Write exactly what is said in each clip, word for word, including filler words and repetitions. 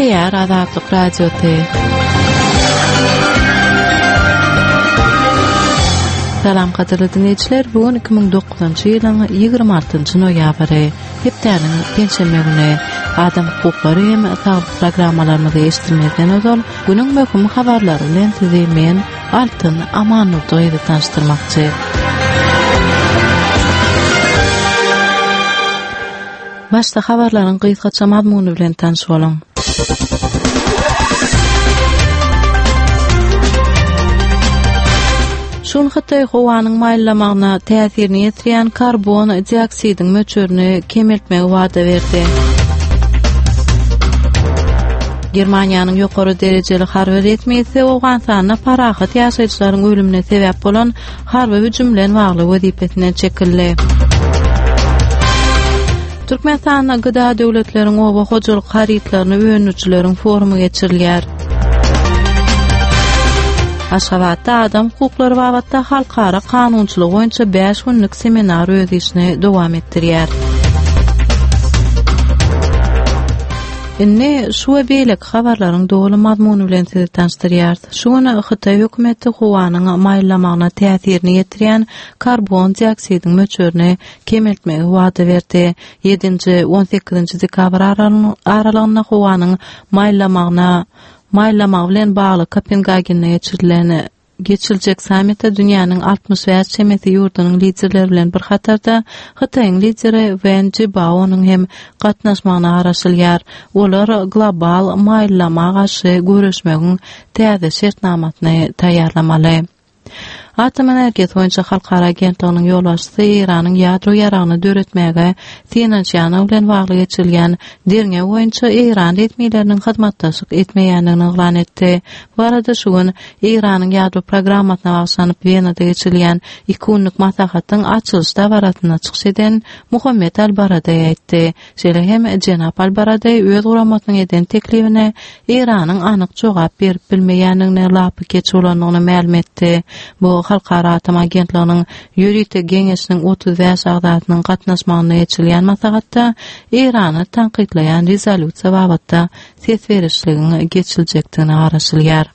Gepleýär Azatlyk Radiosy. Salam gadyrly dinleýjiler, bu gün iki müň dokuzynjy ýylyň ýigrimi altynjy noýabry, hepdäniň penşenbe güni. Adam hukuklary hem saglyk programmalarymyzy eşitdirmezden ozal, günüň möhüm habarlary bilen sizi men, Altyn Amannurdy gyzy tanyşdyrmakçy. Başda habarlaryň gysgaça mazmuny bilen tanyş boluň. Şu gün Hytaý howanyň maýyllamagyna täsirini ýetirýän karbon dioksidiň möçberini kemeltmegi wada berdi. Germaniýanyň ýokary derejeli harby resmisi Owganystanda parahat ýaşaýjylaryň ölümine sebäp bolan harby hüjüm bilen bagly wezipesinden çekildi. Türkmenistanda G D A döwletleriň oba hojalyk harytlaryny öndürijileriň forumy geçirilýär. Aşgabatda adam hukuklary babatda halkara kanunçylygy boýunça bäş günlük seminar öz işini dowam etdirýär. Indi şu we beýleki habarlaryň doly mazmuny bilen sizi tanyşdyrýarys. Şu gün Hytaý hökümeti howanyň maýyllamagyna täsirini ýetirýän karbon dioksidiň möçberini kemeltmegi wada berdi. Ýedinji, on sekizinji dekabr aralygynda howanyň maýyllamagyna, maýyllamagy bilen bagly Kopengagende geçirilen geçiriljek sammitde dünýäniň altmyş bäş çemesi ýurdunyň liderleri bilen bir hatarda Hytaýyň lideri Wen Jibaonyň hem gatnaşmagyna garaşylýar. Olar global maýyllama garşy göreşmegiň täze şertnamasyny taýýarlamaly. Atom energiýasy boýunça halkara agentliginiň ýolbaşçysy Eýranyň ýadro ýaragyny döretmäge synanyşýany bilen bagly geçirilýän derňew boýunça Eýran resmileriniň hyzmatdaşlyk etmeýändigini yglan etdi. Bu arada şu gün Eýranyň ýadro programmasyna bagyşlanyp Wenada geçirilýän iki günlük maslahatyň açylyş dabarasynda çykyş eden Muhammet Al-Baradei aýtdy. Şeýle hem Jenap Al-Baradei öz guramasynyň eden teklibine Eýranyň anyk jogap berip bilmeýändigine lapy keç bolandygyny mälim etdi. Bu Halkara Atom Agentliginiň ýörite geňeşiniň otuz bäş agzasynyň gatnaşmagynda geçirilýän maslahatda Eýrany tankytlaýan rezolýusiýa babatda ses berişligiň geçiljekdigine garaşylýar.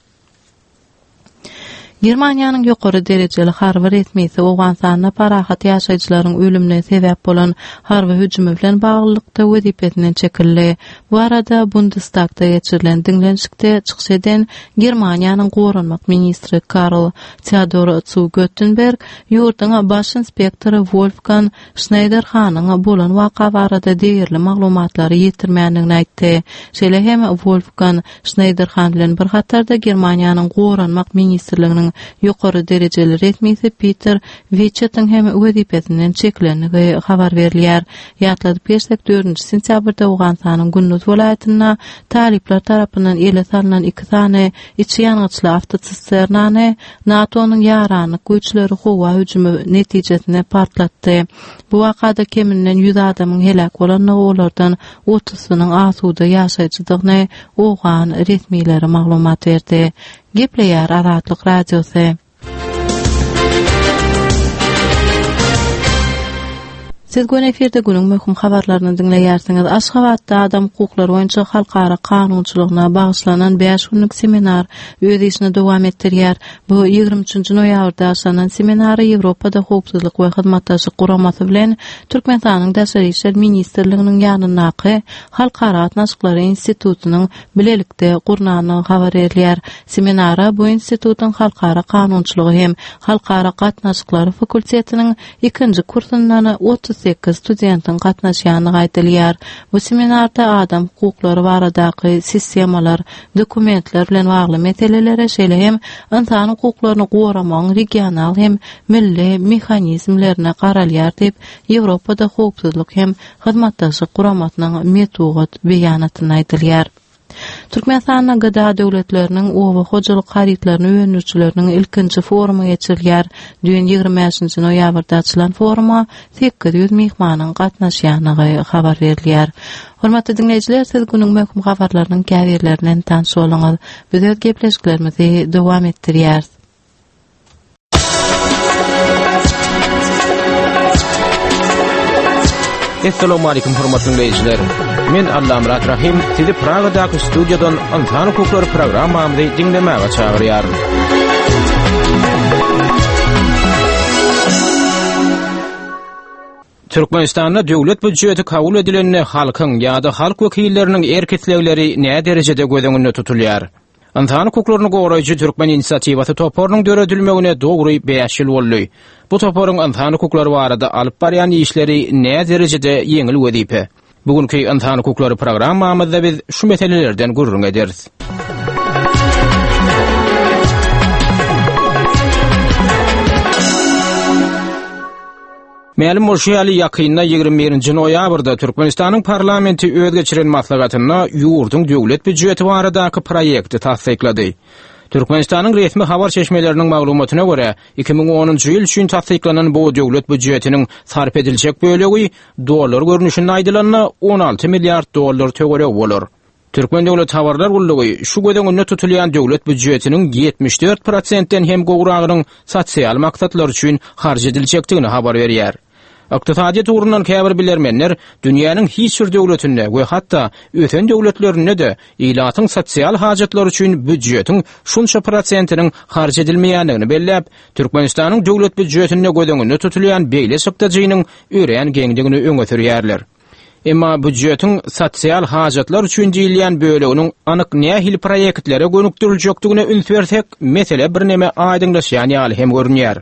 Germaniýanyň ýokary derejeli harby resmisi Owganystanda parahat ýaşaýjylaryň ölümine sebäp bolan harby hüjümi bilen baglylykda wezipesinden çekildi. Bu arada Bundestagda geçirilen diňlenişikde çykyş eden Germaniýanyň goranmak ministri Karl Theodor zu Guttenberg ýurduň baş inspektory Wolfgang Schneiderhanyň bolan waka barada degerli maglumatlary ýetirmändigini aýtdy. Şeýle hem Wolfgang Schneiderhan bilen bir hatarda Germaniýanyň goranmak ministrliginiň ýokary derejeli resmisi Peter Wichetiň hem wezipesinden çekilendigi habar berilýär. Ýatladyp geçsek, dördünji sentýabrda Owganystanyň Gündüz welaýatynda talyplar tarapyndan ele salnan iki sany içi ýangyçly awtosisternany NATO-nyň ýaranlyk güýçleri howa hüjümi netijesinde partlatdy. Bu wakada keminden ýüz adamyň heläk bolandygy, olardan otuzynyň asuda ýaşaýjydygyny owgan resmileri maglumat berdi. Gepleýär Azatlyk Radiosy. Siz gün efirde günüň möhüm habarlaryny diňleýärsiňiz. Aşgabatda adam hukuklary boýunça halkara kanunçylygyna bagyşlanan bäş günlük seminar öz işini dowam etdirýär. Bu ýigrimi üçünji noýabrda başlanan seminary Ýewropada howpsuzlyk we hyzmatdaşlyk guramasy bilen Türkmenistanyň Daşary işler ministrliginiň ýanyndaky Halkara gatnaşyklary institutynyň bilelikde gurnandygy habar berilýär. Seminara bu institutyň halkara kanunçylygy hem halkara gatnaşyklary fakultetiniň ikinji kursundan otuz sekiz studentiň gatnaşýandygy aýdylýar. Bu seminarda adam hukuklary baradaky sistemalar, dokumentler bilen bagly meselelere, şeýle hem insan hukuklaryny goramagyň regional hem milli mehanizmlerine garalýar diýip, Ýewropada howpsuzlyk hem hyzmatdaşlyk guramasynyň metbugat beýanatynda aýdylýar. Türkmenistanda G D A döwletleriniň oba hojalyk harytlaryny öndürijileriniň ilkinji forumy geçirilýär. Düýn ýigrimi bäşinji noýabrda açylan foruma sekiz ýüz myhmanyň gatnaşýandygy habar berilýär. Hormatly dinleýjiler, siz günüň möhüm habarlarynyň käbirlerinden tanyş bolduňyz. Biz öz gepleşiklerimizi dowam etdirýäris. Essalamu aleýkum hormatly dinleýjiler. Men Allamyrat Rahim sizi Pragadaky studiýadan Ynsan hukuklary programmamyzy diňlemäge çagyrýaryn. Türkmenistanda döwlet býudjeti kabul edilende halkyň ýa-da halk wekilleriniň erk islegleri nä derejede göz öňünde tutulýar? Ynsan hukuklaryny goraýjy Türkmen inisiatiwasy toparynyň döredilmegine dogry bäş ýyl boldy. Bu toparyň ynsan hukuklary barada alyp barýan işleri nä derejede ýeňil wezipe? Bugünkü ynsan hukuklary programmamyzda biz şu meselelerden gürrüň ederis. Mälim bolşy ýaly ýakynda ýigrimi birinji noýabrda Türkmenistanyň parlamenti öz geçiren maslahatynda ýurduň döwlet býudjeti baradaky proýekti tassyklady. Türkmenistanyň resmi habar çeşmeleriniň maglumatyna görä, iki müň onunjy ýyl üçin tassyklanan bu döwlet býudjetiniň sarp ediljek bölegi dollar görnüşinde aýdylanda on alty milliard dollar töweregi bolar. Türkmen Döwlet Habarlar Gullugy şu göz öňünde tutulýan döwlet býudjetiniň ýetmiş dört prosentden hem gowragynyň sosial maksatlar üçin harç ediljekdigini habar berýär. Ykdysadyýet ugrundan käbir bilermenler dünýäniň hiç bir döwletinde we hatda ösen döwletlerinde de ilatyň sosial hajatlary üçin býudjetiň şunça prosentiniň harç edilmeýändigini belläp, Türkmenistanyň döwlet býudjetinde göz öňünde tutulýan beýle çykdajynyň örän geňdigini öňe sürýärler. Emma býudjetiň sosial hajatlar üçin diýilýän böleginiň anyk nähili proýektlere gönükdiriljekdigine üns bersek, mesele birneme aýdyňlaşýan ýaly hem görünýär.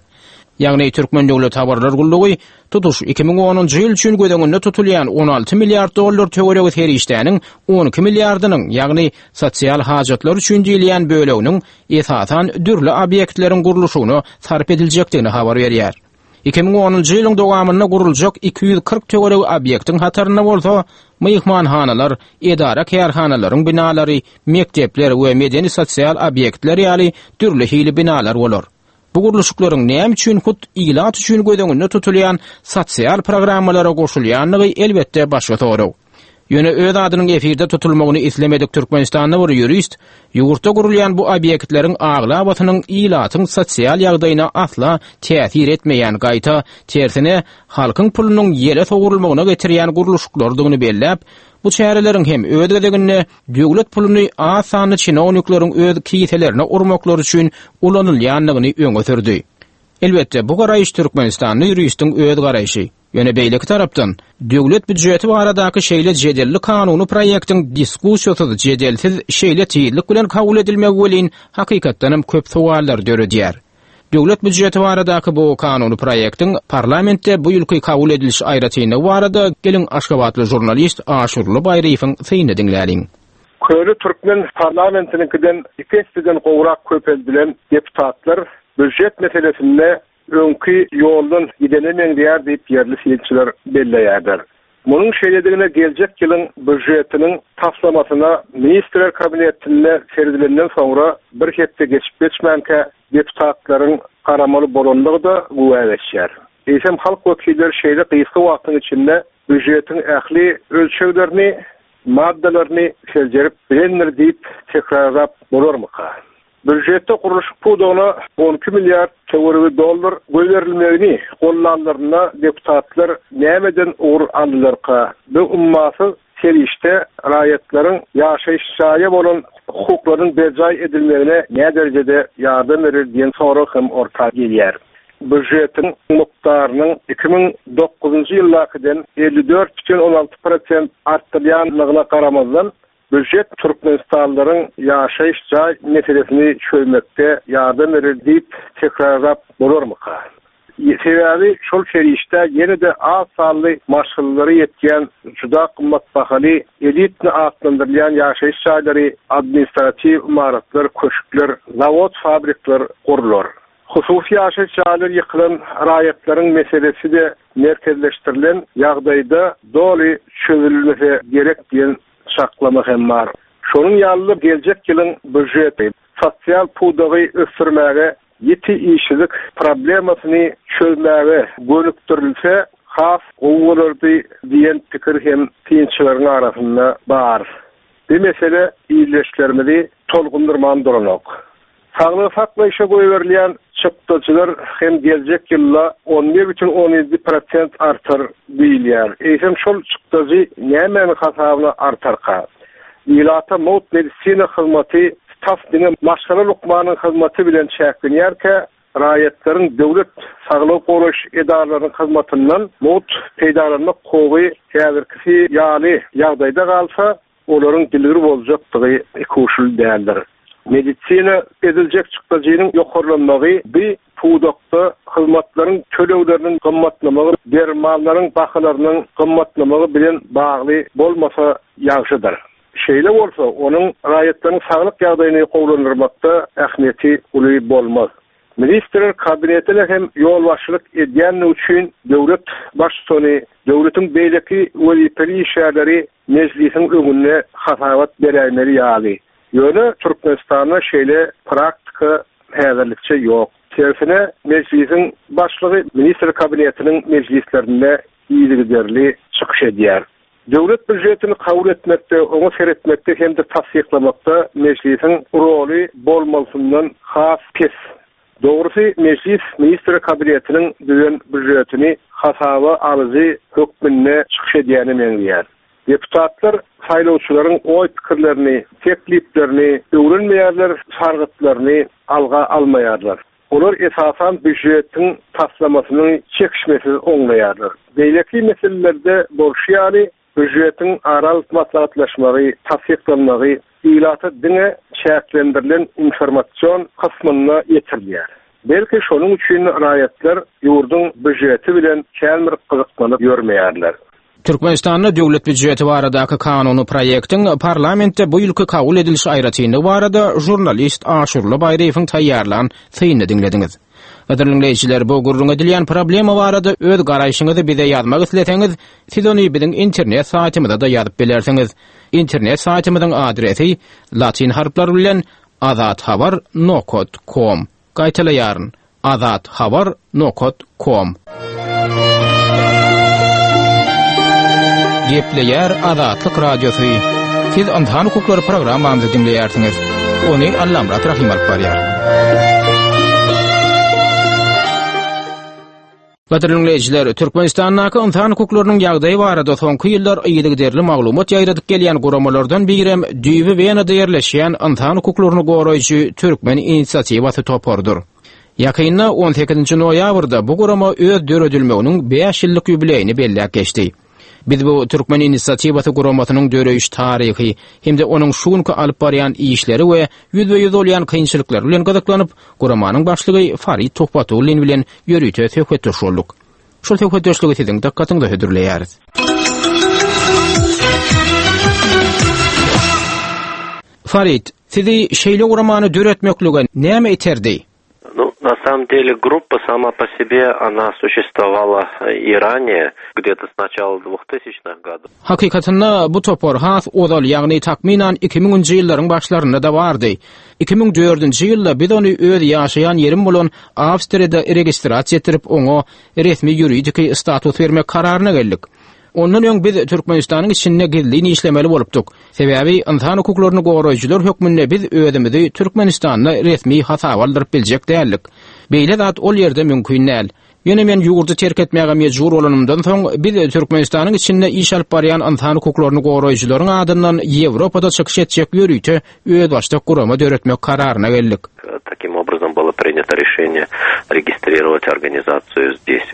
Ýagny Türkmen Döwlet Habarlar Gullugy tutuş iki müň onunjy ýyl üçin göz öňünde tutulýan on alty milliard dollar töweregi serişdäniň on iki milliardynyň, ýagny sosial hajatlar üçin diýilýän böleginiň esasan dürli obýektleriň gurluşygyna sarp ediljekdigini habar berýär. Iki müň onunjy ýylyň dowamynda guruljak iki ýüz kyrk töweregi obýektiň hatarynda bolsa myhmanhanalar, edara kärhanalaryň binalary, mekdepler we medeni sosial obýektler ýaly dürli hili binalar bolar. Bu gurluşyklaryň näme üçin hut ilat üçin göz öňünde tutulýan sosial programmalara goşulýanlygy elbetde başga sorag. Ýöne öz adynyň efirde tutulmagyny islemedik Türkmenistanda bir ýurist ýurtda gurulýan bu obýektleriň aglabasynyň ilatyň sosial ýagdaýyna asla täsir etmeýän, gaýta tersine halkyň pulunyň ýere sowurylmagyna getirýän gurluşyklardygyny belläp, bu çäreleriň hem öz gezeginde döwlet puluny az sanly çinownikleriň öz kiselerine urmaklary üçin ulanylýandygyny öňe sürdi. Elbetde bu garaýyş Türkmenistanly ýuristiň öz garaýşy. Ýöne beýleki tarapdan döwlet býudjeti baradaky şeýle jedelli kanuny proýektiň diskussiýasyz, jedelsiz şeýle tizlik bilen kabul edilmegi welin hakykatdan hem köp sowallar döredýär. Döwlet býudjeti baradaky bu kanuny proýektiň parlamentde bu ýylky kabul ediliş aýratynlygy barada geliň Aşgabatly žurnalist Aşurly Baýryýewiň synyny diňläliň. Köne Türkmen parlamentiniňkiden iki esseden gowrak köpeldilen deputatlar býudjet meselesinde öňki ýoldan gidene meňzeýär diýip ýerli synçylar belleýärler. Munuň şeýledigine geljek ýylyň býudjetiniň taslamasyna ministrler kabinetinde seredilenden soňra bir hepde geçip geçmänkä deputatlaryň garamaly bolanlygy-da güwä geçýär. Eýsem halk wekilleri şeýle gysga wagtyň içinde býudjetiň ähli ölçeglerini, maddalaryny seljerip bilendir diýip tekrarlap bolarmyka? Býudjetde gurluşyk pudagyna on iki milliard töweregi dollar goýberilmegini gollanlarynda deputatlar nämeden ugur aldylarka? Bu ummasyz serişde raýatlaryň ýaşaýyş jaýa bolan hukuklarynyň berjaý edilmegine näme derejede ýardam berer diýen sorag hem orta gelýär. Býudjetiň mukdarynyň iki müň dokuzynjy ýyldakydan elli dört bütin on alty prosent artdyrylýanlygyna garamazdan býudjet Türkmenistanlylaryň ýaşaýyş jaý meselesini çözmekde ýardam berer diýip tekrarlap bolarmyka? Sebäbi şol serişde ýene-de az sanly maşgalalary ýetýän juda gymmat bahaly elitni atlandyrylýan ýaşaýyş jaýlary, administratiw imaratlar, köşkler, zawod, fabrikler gurlar. Hususy ýaşaýyş jaýlary ýykylan raýatlaryň meselesi de merkezleşdirilen ýagdaýda doly çözülmese gerek diýen çaklama hem bar. Şonuň ýaly geljek ýylyň býudjeti sosial pudagy ösdürmäge, ýiti işsizlik problemasyny çözmäge gönükdirilse has gowy bolardy diýen pikir hem synçylaryň arasynda bar. Bu mesele ildeşlerimizi tolgundurman duranok. Saglygy saklaýşa goýberilýän çykdajylar hem geljek ýylda on bir bütin on ýedi prosent artar diýilýär. Eýsem şol çykdajy nämäniň hasabyna artarka? Ilata mugt medisina hyzmaty tas diňe maşgala lukmanyň hyzmaty bilen çäklenýärkä, raýatlaryň döwlet saglygy goraýyş edaralarynyň hyzmatyndan mugt peýdalanmak hukugy häzirkisi ýaly ýagdaýda galsa, olaryň dilgir boljakdygy ikuşul däldir. Medisina ediljek çykdajynyň ýokarlanmagy bi pudakda hyzmatlaryň tölegleriniň gymmatlamagy, dermanlaryň bahalarynyň gymmatlamagy bilen bagly bolmasa ýagşydyr. Şeýle bolsa, onuň raýatlaryň saglyk ýagdaýyny gowulandyrmakda ähmiýeti uly bolmaz. Ministrler kabinetine hem ýolbaşçylyk edýäni üçin döwlet baştutany, döwletiň beýleki wezipeli işgärleri mejlisiň öňünde hasabat beräýmeli ýaly. Ýöne Türkmenistanda şeýle praktika häzirlikçe ýok. Tersine mejlisiň başlygy ministr kabinetiniň mejlislerinde yzygiderli çykyş edýär. Döwlet býujetini kabul etmekde, oňa seretmekde hem-de tassyklamakda mejlisiň roly bolmalysyndan has pes. Dogrusy mejlis ministr kabinetiniň düzen býujetini hasaba alyjy hökmünde çykyş edýäni meňzeýär. Deputatlar saýlawçylaryň oý pikirlerini, tekliplerini öwrenmeýärler, sargytlaryny alga almaýarlar. Olar esasan býujetiň taslamasyny çekişmesiz oňlaýarlar. Beýleki meselelerde bolşy ýaly býujetiň aral maslahatlaşmagy, tassyklanmagy ilata diňe çäklendirilen informasyon kysmynda ýetirilýär. Belki şonuň üçin raýatlar ýurduň býujeti bilen kän bir gyzyklanyp ýörmeýärler. Türkmenistanda döwlet býujeti baradaky kanuny proýektiň parlamentde bu ýylky kabul ediliş aýratynlygy barada jurnalist Aşurly Baýryýewiň taýýarlan synyny diňlediňiz. Gadyrly dinleýjiler, bu gürrüň edilýän problema barada öz garaýşyňyzy bize ýazmak isleseňiz, siz ony biziň internet saýtymyzda da ýazyp bilersiňiz. Internet saýtymyzyň adresi latin harplary bilen azathabar nokta com. Gaýtalaýaryn: azathabar nokta com. Gepleýär Azatlyk Radiosy. Siz Ynsan hukuklary programmamyzy diňleýärsiňiz. Ony Allamyrat Rahim alyp barýar. Gadyrly dinleýjiler, Türkmenistandaky ynsan hukuklarynyň ýagdaýy barada soňky ýyllar yzygiderli maglumat ýaýradyp gelýän guramalardan birem düýbi Wenada ýerleşýän ynsan hukuklaryny goraýjy Türkmen inisiatiwasy toparydyr. Ýakynda on sekizinji noýabrda bu gurama öz döredilmeginiň bäş ýyllyk ýubileýini belläp geçdi. Biz bu Türkmen inisiatiwasy guramasynyň döreýiş taryhy hem-de onuň şu günki alyp barýan işleri we ýüzbe-ýüz bolýan kynçylyklary bilen gyzyklanyp, guramanyň başlygy Farid Tuhbatullin bilen ýörite söhbetdeş bolduk. Şol söhbetdeşligi siziň dykgatyňyza hödürleýäris. Farid, sizi şeýle guramany döretmeklige näme iterdi? Ну, на самом деле группа сама по себе, она существовала и ранее, где-то с начала двухтысячных годов. Hakykatynda bu topar has ozal, ýagny takmynan iki müňünji ýyllaryň başlarynda da bardy. Iki müň dördünji ýylda biz ony öz ýaşaýan ýerim bolan Awstriýada registrasiýa etdirip, oňa resmi ýuridiki status bermek kararyna geldik. Ondan öň biz Türkmenistanyň içinde gizlin işlemeli bolupdyk. Sebäbi ynsan hukuklaryny goraýjylar hökmünde biz özümizi Türkmenistanda resmi hasaba aldyryp biljek däldik. Beýle zat ol ýerde mümkin däl. Ýöne men ýurdy terk etmäge mejbur bolanymdan soň biz Türkmenistanyň içinde iş alyp barýan ynsan hukuklaryny goraýjylaryň adyndan Ýewropada çykyş etjek ýörite özbaşdak gurama döretmek kararyna geldik. Таким образом было принято решение регистрировать организацию здесь.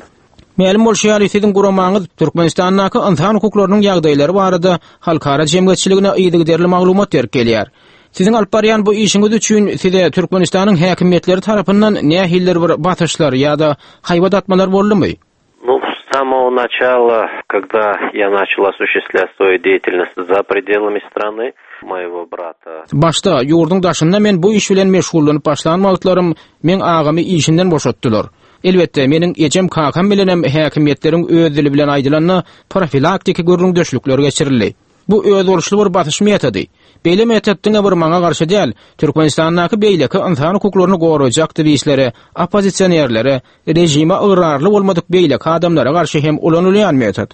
Mälim bolşy ýaly siziň guramaňyz Türkmenistandaky ynsan hukuklarynyň ýagdaýlary barada halkara jemgyýetçiligine yzygiderli maglumat berip gelýär. Siziň alyp barýan bu işiňiz üçin size Türkmenistanyň häkimiýetleri tarapyndan nähilidir bir basyşlar ýa-da haýbat atmalar boldumy? Ну, с самого начала, когда я начал осуществлять свою деятельность за пределами страны, моего брата. Başda ýurduň daşynda men bu iş bilen meşgullanyp başlan wagtlarym men agamy işinden boşatdylar. Elbetde meniň ejem kakam bilenem häkimiýetleriň öz dili bilen aýdylanda profilaktiki gürrüňdeşlikler geçirildi. Bu özboluşly bir basyş metody. Beýle metod diňe bir maňa garşy däl, Türkmenistandaky beýleki ynsan hukuklaryny goraýjy aktiwistlere, oppozisionerlere, rejime ygrarly bolmadyk beýleki adamlara garşy hem ulanylýan metod.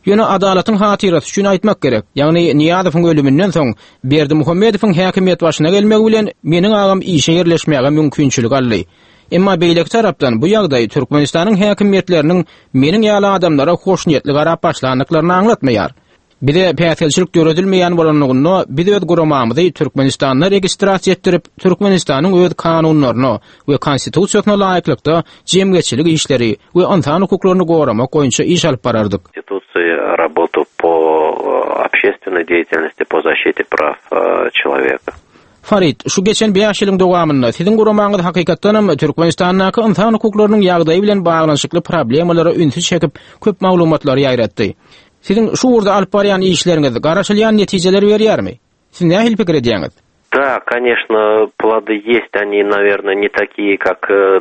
Ýöne adalatyň hatyrasy üçin aýtmak gerek. Ýagny Nyýazowyň ölüminden soň Berdimuhamedowyň häkimiýet başyna gelmegi bilen meniň agam işe ýerleşmäge mümkinçilik aldy. Emma beýleki tarapdan bu ýagdaý Türkmenistanyň häkimiýetleriniň meniň ýaly adamlara hoşniýetli garap başlandyklaryny aňlatmaýar. Bize päsgelçilik döredilmeýän bolanlygynda biz öz guramamyzy Türkmenistanda registrasiýa etdirip, Türkmenistanyň öz kanunlaryna we konstitusiýasyna laýyklykda jemgyýetçilik işleri we ynsan hukuklaryny goramak boýunça iş alyp barardyk. Конституции работу по общественной деятельности по защите прав человека. Farid, şu geçen bäş ýylyň dowamynda siziň guramaňyz hakykatdanam Türkmenistandaky ynsan hukuklarynyň ýagdaýy bilen baglanyşykly problemalara ünsi çekip, köp maglumatlary ýaýratdy. Siziň şu ugurda alyp barýan işleriňiz garaşylýan netijeleri berýärmi? Siz nähili pikir edýäňiz? Да, конечно, плоды есть, они, наверное, не такие, как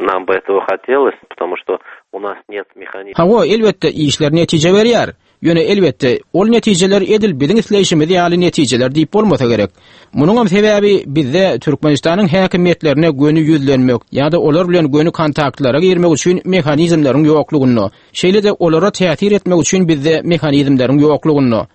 нам бы этого хотелось, потому что у нас нет механизма. Hawa, elbetde işler netije berýär. Ýöne elbetde ol netijeler edil biziň isleýşimiz ýaly netijeler diýip bolmasa gerek. Munuň hem sebäbi bizde Türkmenistanyň häkimiýetlerine göni ýüzlenmek ýa-da olar bilen göni kontaktlara girmek üçin mehanizmleriň ýoklugynda, şeýle-de olara täsir etmek üçin bizde mehanizmleriň ýoklugynda.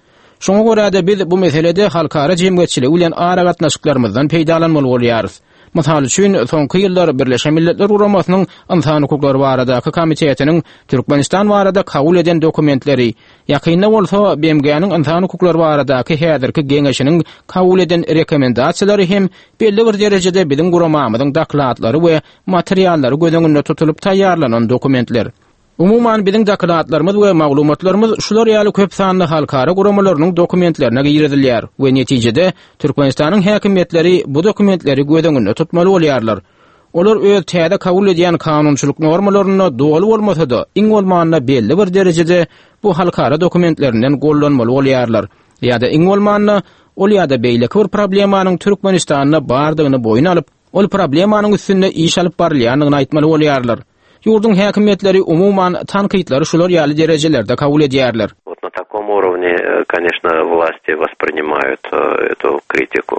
Şoňa görä-de biz bu meselede halkara jemgyýetçiligi bilen aragatnaşyklarymyzdan peýdalanmaly bolýarys. Mysal üçin, soňky ýyllar Birleşen Milletler Guramasynyň Ynsan hukuklary baradaky komitetiniň Türkmenistan barada kabul eden dokumentleri, ýakynda bolsa B M G-niň Ynsan hukuklary baradaky häzirki geňeşiniň kabul eden rekomendasiýalary hem belli bir derejede biziň guramamyzyň dokladlary we materiallary göz öňünde tutulyp taýýarlanan dokumentler. Umuman biziň dokladlarymyz we maglumatlarymyz şular ýaly köp sanly halkara guramalarynyň dokumentlerine girizilýär we netijede Türkmenistanyň häkimiýetleri bu dokumentleri göz öňünde tutmaly bolýarlar. Olar öz täze kabul edýän kanunçylyk normalarynda doly bolmasa-da, iň bolmanda belli bir derejede bu halkara dokumentlerinden gollanmaly bolýarlar. Ýa-da iň bolmanda ol ýa-da beýleki bir problemanyň Türkmenistanda bardygyny boýun alyp, ol problemanyň üstünde iş alyp barylýandygyny aýtmaly bolýarlar. Ýurduň häkimiýetleri umuman tankytlary şular ýaly derejelerde kabul edýärler. Вот на таком уровне, конечно, власти воспринимают эту критику.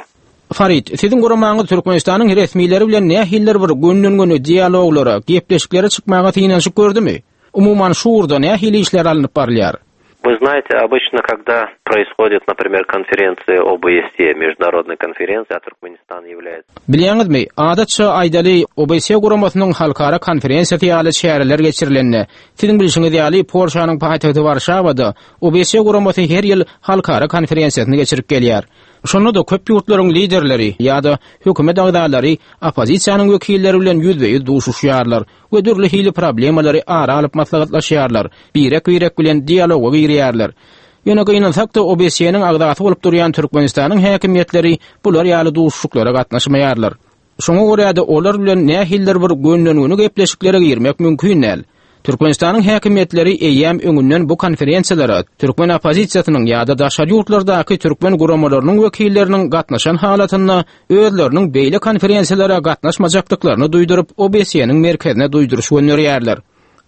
Farid, siziň guramaňyz Türkmenistanyň resmileri bilen nähilidir bir gönden-göni dialoglara, gepleşiklere çykmaga synanyşyp gördümi? Umuman şu ugurda nähili işler alnyp barylýar? Вы знаете, обычно, когда происходит, например, конференция О Б С Е, международная конференция, а Туркменистан является... Bilýäňizmi, adatça aýdaly O B S E guramasynyň halkara konferensiýasy ýaly çäreler geçirilende, siziň bilşiňiz ýaly Polşanyň paýtagty Warşawada O B S E guramasy her ýyl halkara konferensiýasyny geçirip gelýär. Şonda da köp ýurtlaryň liderleri ýa-da hökümet agzalary oppozisiýanyň wekilleri bilen ýüzbe-ýüz duşuşýarlar we dürli hili problemalary ara alyp maslahatlaşýarlar, birek-birek bilen dialoga girýärler. Ýöne gynansak-da O B S E-niň agzasy bolup durýan Türkmenistanyň häkimiýetleri bular ýaly duşuşyklara gatnaşmaýarlar. Şoňa görä-de olar bilen nähilidir bir gönden-göni gepleşiklere girmek mümkin däl. Türkmenistanyň häkimiýetleri eýýäm öňünden bu konferensiýalara türkmen oppozisiýasynyň ýa-da daşary ýurtlardaky türkmen guramalarynyň wekilleriniň gatnaşan halatynda özleriniň beýle konferensiýalara gatnaşmajakdyklaryny duýduryp O B S E-niň merkezine duýduryş gönderýärler.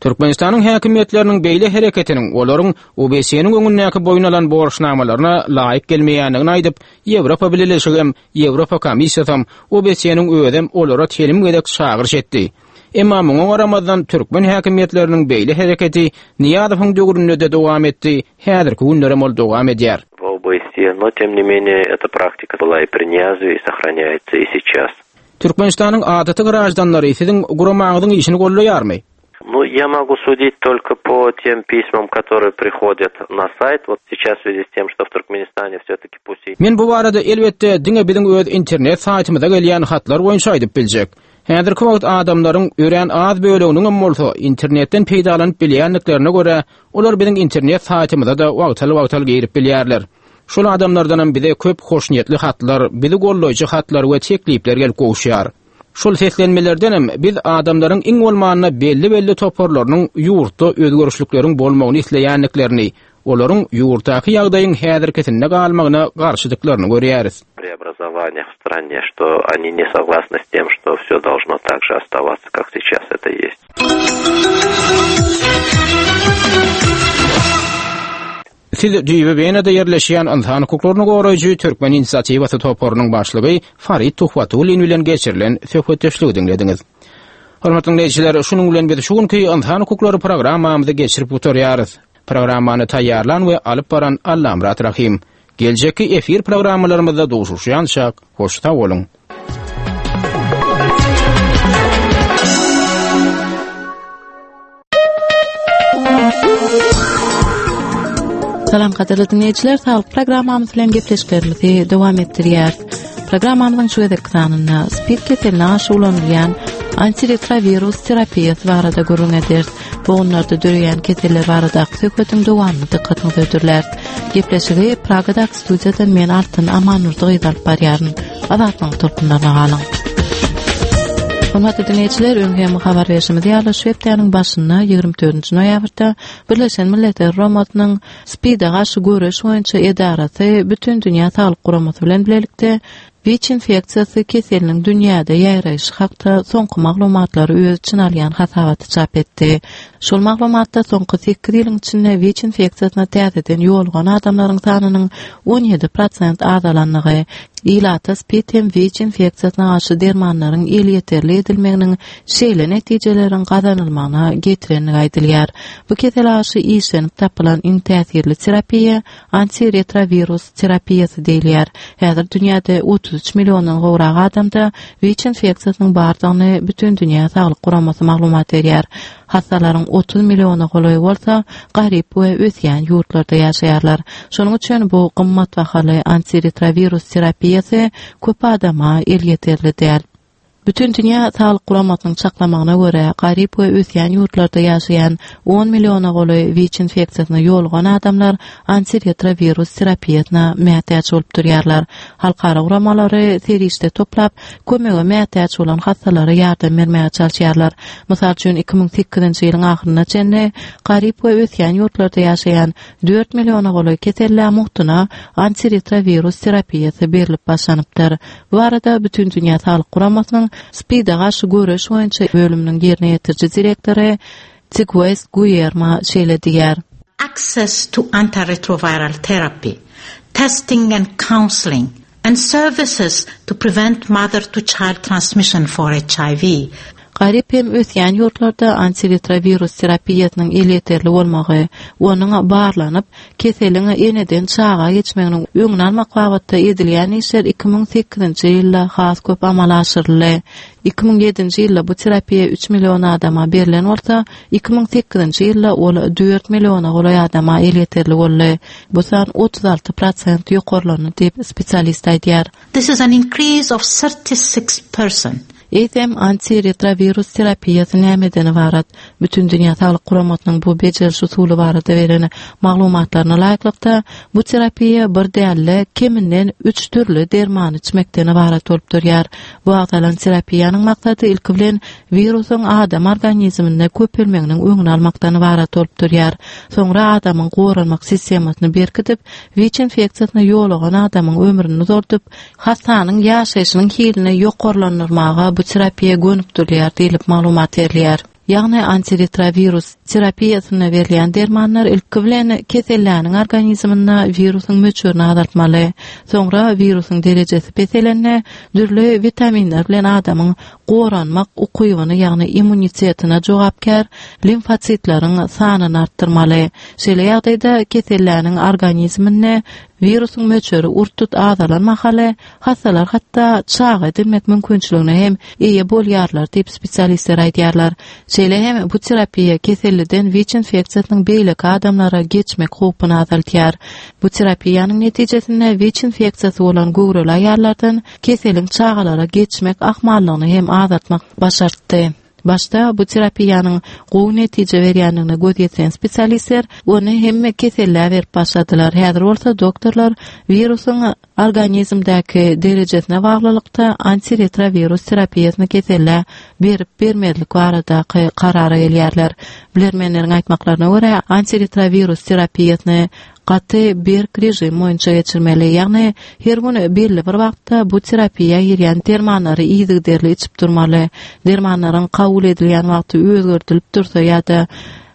Türkmenistanyň häkimiýetleriniň beýle hereketiniň olaryň O B S E-niň öňündäki boýun alan borçnamalaryna laýyk gelmeýändigini aýdyp, Ýewropa Bileleşigi hem, Ýewropa Komissiýasy hem O B S E-niň özem olara telim gezek çagyryş etdi. Emma muňa garamazdan türkmen häkimiýetleriniň beýle hereketi Nyýazowyň döwründe-de dowam etdi, häzirki günlerem ol dowam edýär. В О Б С Е, но тем не менее эта практика была и при Ниязове и сохраняется и сейчас. Türkmenistanyň adaty graždanlary siziň guramaňyzyň işini gollaýarmy? Ну, я могу судить только по тем письмам, которые приходят на сайт. Вот сейчас в связи с тем, что в Туркменистане все-таки пусть и Men bu barada elbetde diňe biziň öz internet saýtymyza gelýän hatlar boýunça aýdyp biljek. Häzirki wagt adamlaryň örän az böleginiň hem bolsa internetden peýdalanyp bilýändiklerine görä, olar biziň internet saýtymyza da wagtal-wagtal girip bilýärler. Şol adamlardan hem bize köp hoşniýetli hatlar, bizi gollaýjy hatlar we teklipler gelip gowuşýar. Şol seslenmelerden hem biz adamlaryň iň bolmanda belli-belli toparlarynyň ýurtda özgerişlikleriň bolmagyny isleýändiklerini, olaryň ýurtdaky ýagdaýyň häzirkisinde galmagyna garşydyklaryny görýäris. Преобразованиях в стране, что они не согласны с тем, что все должно так же оставаться, как сейчас это есть. Siz düýbi Wenada ýerleşýän ynsan hukuklaryny goraýjy Türkmen inisiatiwasy toparynyň başlygy Farid Tuhbatullin bilen geçirilen söhbetdeşligi diňlediňiz. Hormatly dinleýjiler, şunuň bilen biz şu günki ynsan hukuklary programmamyzy geçirip gutarýarys. Programmany taýýarlan we alyp baran Allamyrat Rahim. Geljekki efir programmalarymyzda duşuşýançak, hoş sag boluň. Salam gadyrly dinleýjiler, saglyk programmamyz bilen gepleşiklerimizi dowam etdirýäris. Programmamyzyň şu gezekki sanynda SPID keseline garşy ulanylýan antiretrovirus terapiýasy barada gürrüň ederis. Bogunlarda döreýän keseller baradaky söhbetiň dowamyny dykgatyňyza hödürläris. Gepleşigi Pragadaky studiýadan men Altyn Amanurdy gyz alyp barýaryn. Azatlygyň tolkunlaryna galyň. Hormatly dinleýjiler, öň hem habar berşimiz ýaly, şu hepdäniň başynda ýigrimi dördünji noýabrda Birleşen Milletler Guramasynyň SPID-e garşy göreş boýunça edarasy Bütindünýä Saglyk Guramasy bilen bilelikde WIÇ infeksiýasy keseliniň dünýäde ýaýraýşy hakda soňky maglumatlary öz içine alýan hasabaty çap etdi. Şol maglumatda soňky sekiz ýylyň içinde WIÇ infeksiýasyna täzeden ýolugan adamlaryň sanynyň on ýedi prosent azalandygy, ilata SPID hem WIÇ infeksiýasyna garşy dermanlaryň elýeterli edilmeginiň şeýle netijeleriň gazanylmagyna getirendigi aýdylýar. Bu kesele garşy işlenip tapylan iň täsirli terapiýa antiretrovirus terapiýasy diýilýär. Häzir dünýäde otuz üç milliondan gowrak adamda WIÇ infeksiýasynyň bardygyny Bütindünýä Saglyk Guramasy maglumat berýär. Hassalaryň otuz milliona golaýy bolsa garyp we ösýän ýurtlarda ýaşaýarlar. Şonuň üçin bu gymmat bahaly antiretrovirus terapiýasy köp adama elýeterli däl. Bütindünýä Saglyk Guramasynyň çaklamagyna görä, garyp we ösýän ýurtlarda ýaşaýan on milliona golaý WIÇ infeksiýasyna ýolugan adamlar antiretrovirus terapiýasyna mätäç bolup durýarlar. Halkara guramalary serişde toplap, kömege mätäç bolan hassalara ýardam bermäge çalyşýarlar. Mysal üçin, iki müň sekizinji ýylyň ahyryna çenli garyp we ösýän ýurtlarda ýaşaýan dört milliona golaý kesellä mugtuna antiretrovirus terapiýasy berlip başlanypdyr. Bu arada Bütindünýä Saglyk Guramasynyň SPID-e garşy göreş boýunça bölüminiň ýerine ýetiriji direktory Tigwes Guýerma şeýle diýýär. Access to antiretroviral therapy, testing and counseling, and services to prevent mother-to-child transmission for H I V. Garyp hem ösýän ýurtlarda antiretrovirus terapiýasynyň elýeterli bolmagy, onuň barlanyp, keseliň eneden çaga geçmeginiň öňüni almak babatda edilýän işler iki müň sekizinji ýylda has köp amala aşyryldy. Iki müň ýedinji ýylda bu terapiýa üç million adama berlen bolsa, iki müň sekizinji ýylda ol dört milliona golaý adama elýeterli boldy. Bu san otuz alty prosent ýokarlandy diýip spesialist aýdýar. This is an increase of thirty-six percent. Eýsem antiretrovirus terapiýasy nämeden ybarat? Bütindünýä Saglyk Guramasynyň bu bejeriş usuly barada beren maglumatlaryna laýyklykda, bu terapiýa bir däl-de keminden üç dürli dermany içmekden ybarat bolup durýar. Bu agzalan terapiýanyň maksady ilki bilen wirusyň adam organizminde köpelmeginiň öňüni almakdan ybarat bolup durýar. Soňra adamyň goranmak sistemasyny berkidip, WIÇ infeksiýasyna ýolugan adamyň ömrüni uzaldyp, hassanyň ýaşaýşynyň hilini ýokarlandyrmaga bu terapiýa gönükdirilýär diýlip maglumat berilýär. Ýagny antiretrovirus terapiýasyna berilýän dermanlar ilki bilen keselläniň organizminde wirusyň möçberini azaltmaly. Soňra wirusyň derejesi peselende dürli witaminler bilen adamyň goranmak ukybyny, ýagny immunitetine jogapkär limfositleriň sanyny artdyrmaly. Şeýle ýagdaýda keselläniň organizminde wirusyň möçberi urt-tut azalan mahaly hassalar hatda çaga edilmek mümkinçiligine hem eýe bolýarlar diýip spesialistler aýdýarlar. Şeýle hem bu terapiýa keselliden WIÇ infeksiýasynyň beýleki adamlara geçmek howpuny azaltýar. Bu terapiýanyň netijesinde WIÇ infeksiýasy bolan göwreli aýallardan keseliň çagalara geçmek ahmallygyny hem azaltmak başartdy. Başda bu terapiýanyň gowy netije berýändigine göz ýetiren spesialistler ony hemme kesellä berip başladylar. Häzir bolsa doktorlar wirusyň organizmdäki derejesine baglylykda antiretrovirus terapiýasyny kesellä berip bermezlik baradaky karara gelýärler. Bilermenleriň aýtmaklaryna görä, antiretrovirus terapiýasyny gaty berk rejim boýunça geçirmeli. Ýagny her gün belli bir wagtda bu terapiýa girýän dermanlary yzygiderli içip durmaly. Dermanlaryň kabul edilýän wagty özgerdilip dursa ýa-da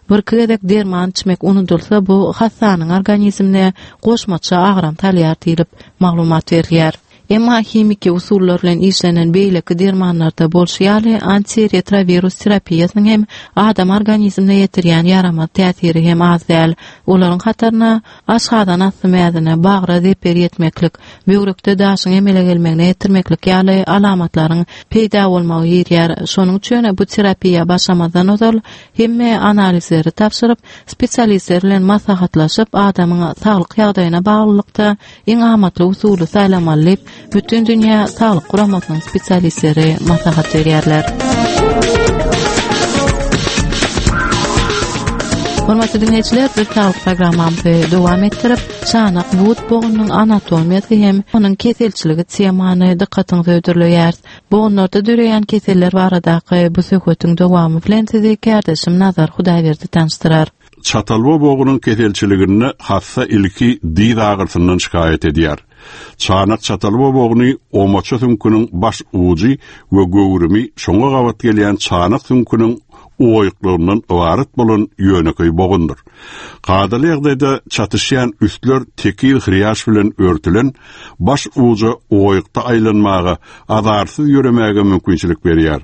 bir iki gezek derman içmek unudylsa, bu hassanyň organizmine goşmaça agram salýar diýlip maglumat berilýär. Emma himiki usullar bilen işlenen beýleki dermanlarda bolşy ýaly antiretrovirus terapiýasynyň hem adam organizmine ýetirýän ýaramaz täsiri hem az däl. Olaryň hataryna aşgazan asty mäzine, bagra zeper ýetmeklik, böwrekde daşyň emele gelmegine ýetirmeklik ýaly alamatlaryň peýda bolmagy girýär. Şonuň üçin bu terapiýa başlamazdan ozal hemme analizleri tabşyryp, spesialistler bilen maslahatlaşyp, adamyň saglyk ýagdaýyna baglylykda iň amatly usuly saýlamaly diýip, bütün dünýä saglyk guramasynyň spesialistleri maslahat berýärler. Hormatly dinleýjiler, biz saglyk programmamyzy dowam etdirip, çanak but bogunyň anatomiýasy hem onuň keselçiligi temany dykgatyňyza hödürleýäris. Bogunlarda döreýän keseller baradaky bu söhbetiň dowamy bilen sizi kärdeşim Nazar Hudaýberdi tanyşdyrar. Çatalba bogunyň keselçiliginde hassa ilki diz agyrsyndan şikaýat edýär. Çanak çatalba bogny omaça süňküniň baş ujy we göwrümi şoňa gabat gelýän çanak süňküniň oýuklygyndan ybarat bolan ýönekeý bogundyr. Kadaly ýagdaýda çatyşýan üstler tekiz hriýaş bilen örtülen baş uja oýukda aýlanmaga, azarsyz ýöremäge mümkinçilik berýär.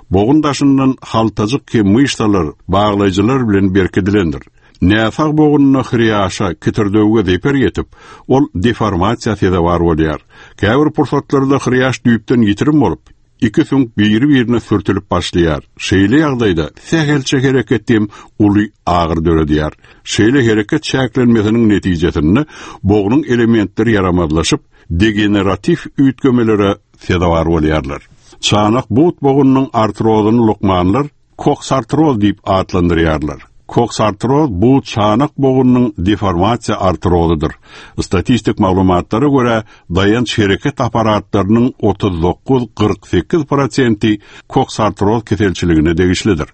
Bogun daşyndan haltajyk hem myşsalar, baglaýjylar bilen berkidilendir. Näsag bogununa hriýaşa, kitirdewge zeper ýetip, ol deformasiýa sezewar bolýar. Käbir pursatlarda hriýaş düýpden ýitirim bolup, iki süňk biri-birine sürtülip başlaýar. Şeýle ýagdaýda sähelçe hereket hem uly agyr döredýär. Şeýle hereket çäklenmesiniň netijesinde bognuň elementleri ýaramazlaşyp, degenerativ üýtgemelere sezewar bolýarlar. Çanak but bogunyň artrozyny lukmanlar koksartroz diýip atlandyrýarlar. Koksartroz bu çanak bogunyň deformasiýa artrozydyr. Statistik maglumatlara görä, daýanç hereket aparatlarynyň otuz dokuz kyrk sekiz prosenti koksartroz keselçiligine degişlidir.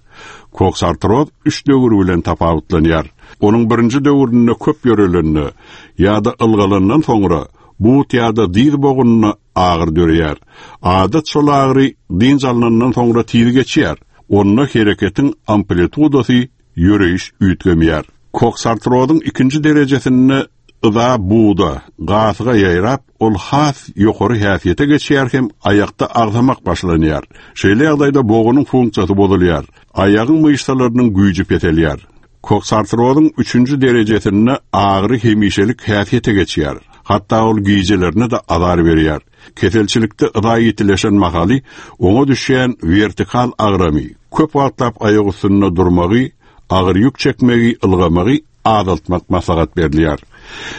Koksartroz üç döwür bilen tapawutlanýar. Onuň birinji döwründe köp ýörelende ýa-da ylgalandan soňra but ýa-da diz bogunyna agyr döreýär. Adat şol agyry dynç alnandan soňra tiz geçýär. Onda hereketiň amplitudasy ýöreýiş üýtgemýär. Koksartrozyň ikinji derejesinde yza buda, gasyga ýaýrap, ol has ýokary häsiýete geçýär hem aýakda agzamak başlanýar. Şeýle ýagdaýda bogunyň funksiýasy bozulýar. Aýagyň myşsalarynyň güýji peselýär. Koksartrozyň üçünji derejesinde agyry hemişelik häsiýete geçýär. Hatda ol gijelerine de azar berýär. Keselçilikde yza ýitileşen mahaly oňa düşýän vertikal agramy, köp wagtlap aýak üstünde durmagy, agyr ýük çekmegi, ylgamagy azaltmak maslahat berilýär.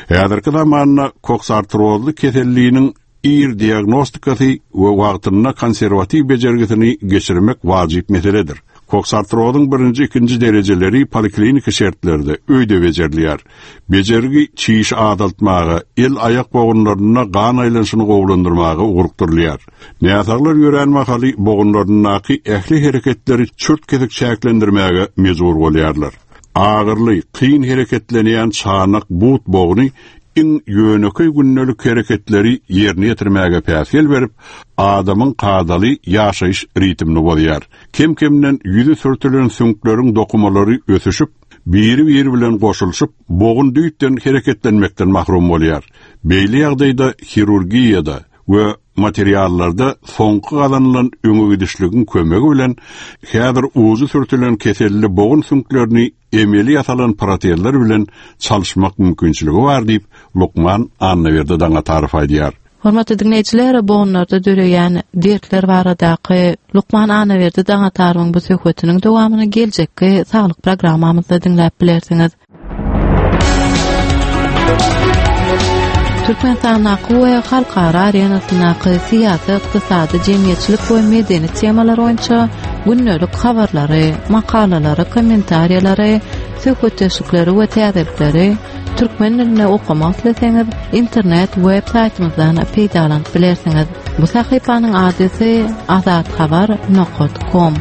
Häzirki zamanda koksartrozly keselliniň ir diagnostikasy we wagtynda konserwatiw bejergisini geçirmek wajyp meseledir. Koksartrozyň birinji, ikinji derejeleri polikliniki şertlerde öýde bejerilýär. Bejergi çiş azaltmaga, el-aýak bogunlarynda gan aýlanyşyny gowulandyrmaga ugrukdyrylýar. Näsaglar ýörän mahaly bogunlaryndaky ähli hereketleri çürt kesik çäklendirmäge mejbur bolýarlar. Agyrly, kyn hereketlenýän çanak but bogny iň ýönekeý gündelik hereketleri ýerine ýetirmäge päsgel berip, adamyň kadaly ýaşaýyş ritmini bozýar. Kem-kemden ýüzi sürtülen süňkleriň dokumalary ösüşip, biri-biri bilen goşulyşyp, bogun düýpden hereketlenmekden mahrum bolýar. Beýle ýagdaýda hirurgiýada we materiallarda soňky gazanylan öňe gidişligiň kömegi bilen häzir uzy sürtülen keselli bogun süňklerini emeli ýasalan protezler bilen çalyşmak mümkinçiligi bar diýip Lukman Annaberdi Daňatarow aýdýar. Hormatly dinleýjiler, bogunlarda döreýän dertler baradaky Lukman Annaberdi Daňatarowyň bu söhbetiniň dowamyny geljekki saglyk programmamyzda diňläp bilersiňiz. Türkmenistandaky we halkara arenasyndaky syýasy, ykdysady, jemgyýetçilik we medeni temalar boýunça gündelik habarlary, makalalary, kommentariýalary, söhbetdeşlikleri we täzelikleri türkmen dilinde okamak isleseňiz, internet web saýtymyzdan peýdalanyp bilersiňiz. Bu sahypanyň adresi azathabar nokta com.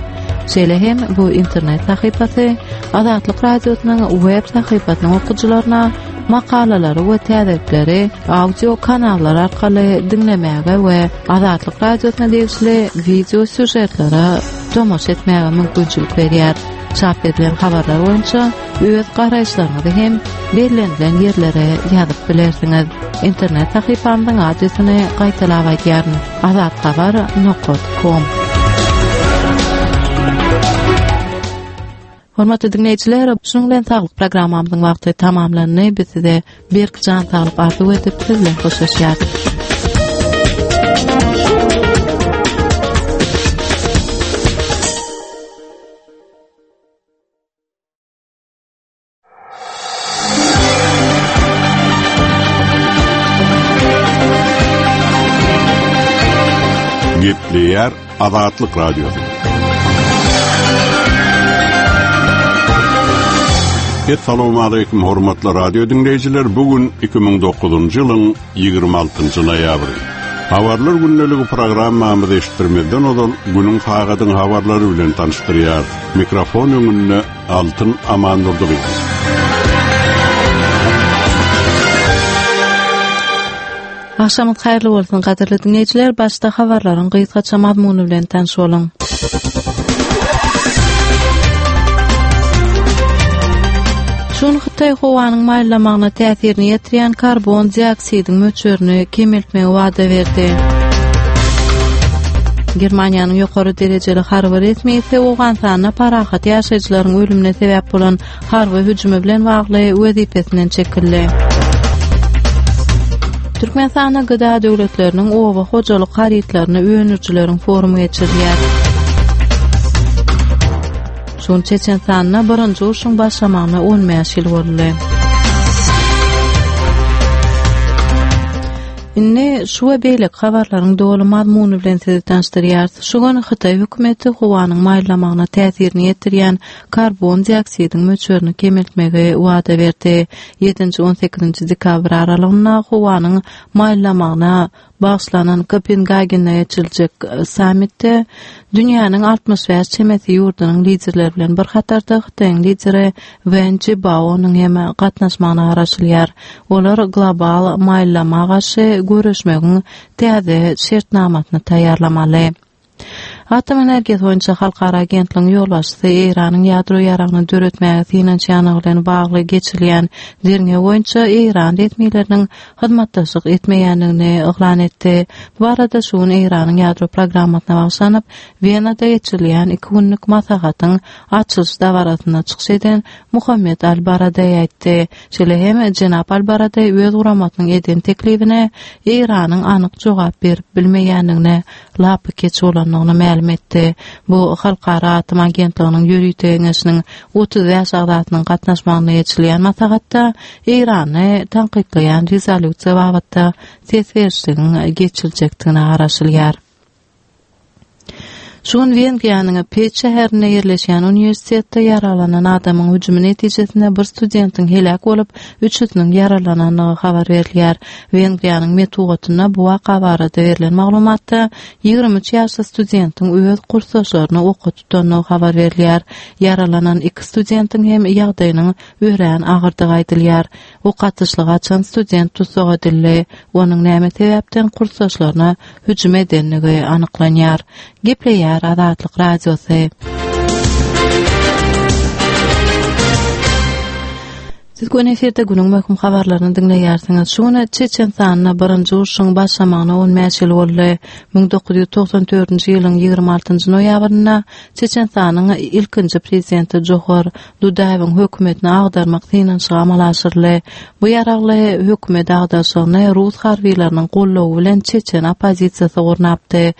Şeýle hem bu internet sahypasy Azatlyk Radiosynyň web sahypasynyň okyjylaryna makalalary we täzelikleri audio kanallar arkaly diňlemäge we Azatlyk Radiosyna degişli video sýužetlere tomaşa etmäge mümkinçilik berýär. Çap edilen habarlar boýunça öz garaýyşlaryňyzy hem bellenilen ýerlere ýazyp bilersiňiz. Internet sahypamyzyň adresini gaýtalap aýdýaryn: azathabar nokta com. Hormatly dinleýjiler, şunuň bilen saglyk programmamyzyň wagty tamamlandy. Biz size berk jan saglyk arzuw edip, siz bilen hoşlaşýarys. Gepleýär Azatlyk Radiosy. Essalamu aleýkum hormatly radio dinleýjiler. Bugün iki müň dokuzynjy ýylyň ýigrimi altynjy noýabry. Habarlar gündeligi programmamyzy eşitdirmezden ozal günüň sagadyň habarlary bilen tanyşdyrýar. Mikrofon öňünde Altyn Amandurdyýew. Akşamyňyz haýyrly bolsun, gadyrly dinleýjiler. Başda habarlaryň gysgaça mazmuny bilen tanyş boluň. Şun Hytaý howanyň maýyllamagyna täsirini ýetirýän karbon dioksidiň möçberini kemeltmegi wada berdi. Germaniýanyň ýokary derejeli harby resmisi Owganystanda parahat ýaşaýjylaryň ölümine sebäp bolan harby hüjümi bilen bagly wezipesinden çekildi. Türkmenistanda gıda döwletleriniň oba hojalyk harytlaryny öndürijileriň forumy geçirilýär. Şun Çeçenistanda birinji urşuň başlamagyna on bäş ýyl boldy. Indi şu we beýleki habarlaryň doly mazmuny bilen sizi tanyşdyrýarys. Şu gün Hytaý hökümeti howanyň maýyllamagyna täsirini ýetirýän karbon dioksidiň möçberini kemeltmegi wada berdi. Ýedinji on sekizinji dekabr aralygynda howanyň maýyllamagyna bagyşlanan Kopengagende geçiriljek sammitde dünýäniň altmyş bäş çemesi ýurdunyň liderleri bilen bir hatarda Hytaýyň lideri Wen Jiabaonyň hem gatnaşmagyna garaşylýar. Olar global maýyllama garşy göreşmegiň täze şertnamasyny taýýarlamaly. Atom energiýasy boýunça halkara agentligiň ýolbaşçysy Eýranyň ýadro ýaragyny döretmäge synanyşýanlygy bilen bagly geçirilýän derňew boýunça Eýran resmileriniň hyzmatdaşlyk etmeýändigini yglan etdi. Bu barada şu gün Eýranyň ýadro programmasyna bagyşlanyp Wenada geçirilýän iki günlük maslahatyň açylyş dabarasynda çykyş eden Muhammed Al-Baradei aýtdy. Şeýle hem Jenap Al-Baradei öz guramasynyň eden teklibine Eýranyň anyk jogap berip bilmeýändigine lapy keç bolandygyny mälim etdi. Bu Halkara Atom Agentliginiň ýörite geňeşiniň otuz bäş agzasynyň gatnaşmagynda geçirilýän maslahatda Eýrany tankytlaýan rezolýusiýa babatda ses berişligiň geçiriljekdigine garaşylýar. Şu gün Wengriýanyň Peç şäherinde ýerleşýän uniwersitetde ýaralanan adamyň hüjümi netijesinde bir studentiň heläk bolup, üçüsiniň ýaralanandygy habar berilýär. Wengriýanyň metbugatynda bu waka barada berlen maglumatda ýigrimi üç ýaşly studentiň öz kursdaşlaryny oka tutandygy habar berilýär. Ýaralanan iki studentiň hem ýagdaýynyň örän agyrdygy aýdylýar. Ok atyşlygy açan student tussag edildi. Onuň näme sebäpden kursdaşlaryna hüjüm edendigi anyklanýar. Gepleýär Azatlyk Radiosy. Siz gün efirde günüň möhüm habarlaryny diňleýärsiňiz. Şu gün Çeçenistanda birinji urşuň başlamagyna on bäş ýyl boldy. Müň dokuz ýüz togsan dördünji ýylyň ýigrimi altynjy noýabrynda Çeçenistanyň ilkinji prezidenti Johar Dudaýewiň hökümetini agdarmak synanyşygy amala aşyryldy. Bu ýaragly hökümet agdarşygyny Rus harbileriniň goldawy bilen Çeçen oppozisiýasy gurnapdy.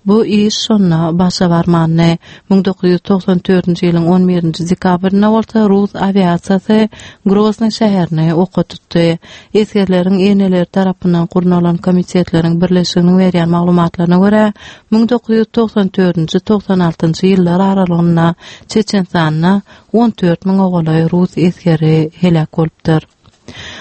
Bu iş şonda başa barmandy. Müň dokuz ýüz togsan dördünji ýylyň on birinji dekabrynda bolsa Rus awiasiýasy Grozny şäherini oka tutdy. Esgerleriň eneleri tarapyndan gurnalan komitetleriň birleşiginiň berýän maglumatlaryna görä, müň dokuz ýüz togsan dördünji togsan altynjy ýyllar aralygynda Çeçenistanda on dört müň ogalaý Rus esgeri heläk bolupdyr.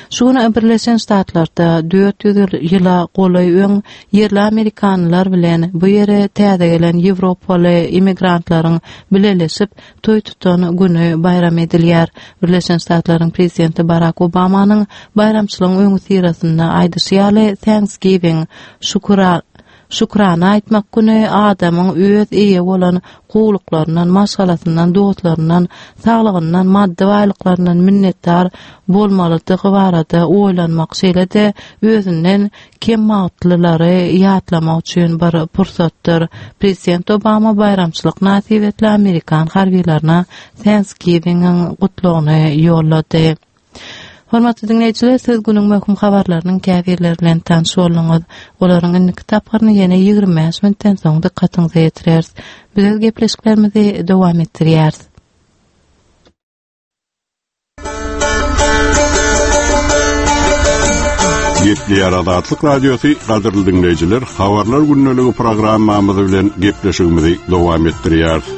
Şu gün Birleşen Ştatlarda dört ýüz ýyla golaý öň ýerli Amerikanlar bilen bu ýere täze gelen Ýewropaly immigrantlaryň bileleşip toý tutan güni bayram edilýär. Birleşen Ştatlaryň prezidenti Barack Obamanyň baýramçylygyň öňi syrasynda aýdyşy ýaly Thanksgiving şükür Şükrana aýtmak güni adamyň öz eýe bolan gowluklaryndan, maşgalasyndan, dostlaryndan, saglygyndan, maddy baýlyklaryndan minnetdar bolmalydygy barada oýlanmak, şeýle-de özünden kem bagtlylary ýatlamak üçin bir pursatdyr. Prezident Obama baýramçylyk mynasybetli amerikan harbylaryna Thanksgiving-iň gutlagyny ýollady. Hormatly diňleýjiler, siz günüň möhüm habarlarynyň käbirleri bilen tanyş bolduňyz. Olaryň indiki tapgyryny ýene ýigrimi bäş minutdan soň dykgatyňyza ýetireris. Biz öz gepleşiklerimizi dowam etdirýäris. Gepleýär Azatlyk Radiosy, gadyrly diňleýjiler, Habarlar gündeligi programmamyz bilen gepleşigimizi dowam etdirýäris.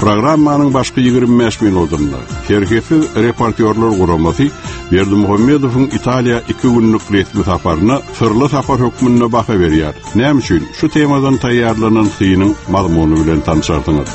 Programmanyň başky ýigrimi bäş minutynda Serhetsiz reportýorlar guramasy Berdimuhamedowyň Italiýa iki günlük resmi saparyna syrly sapar hökmünde baha berýär. Näme üçin? Şu temadan taýýarlanan synyň mazmuny bilen tanşarsyňyz.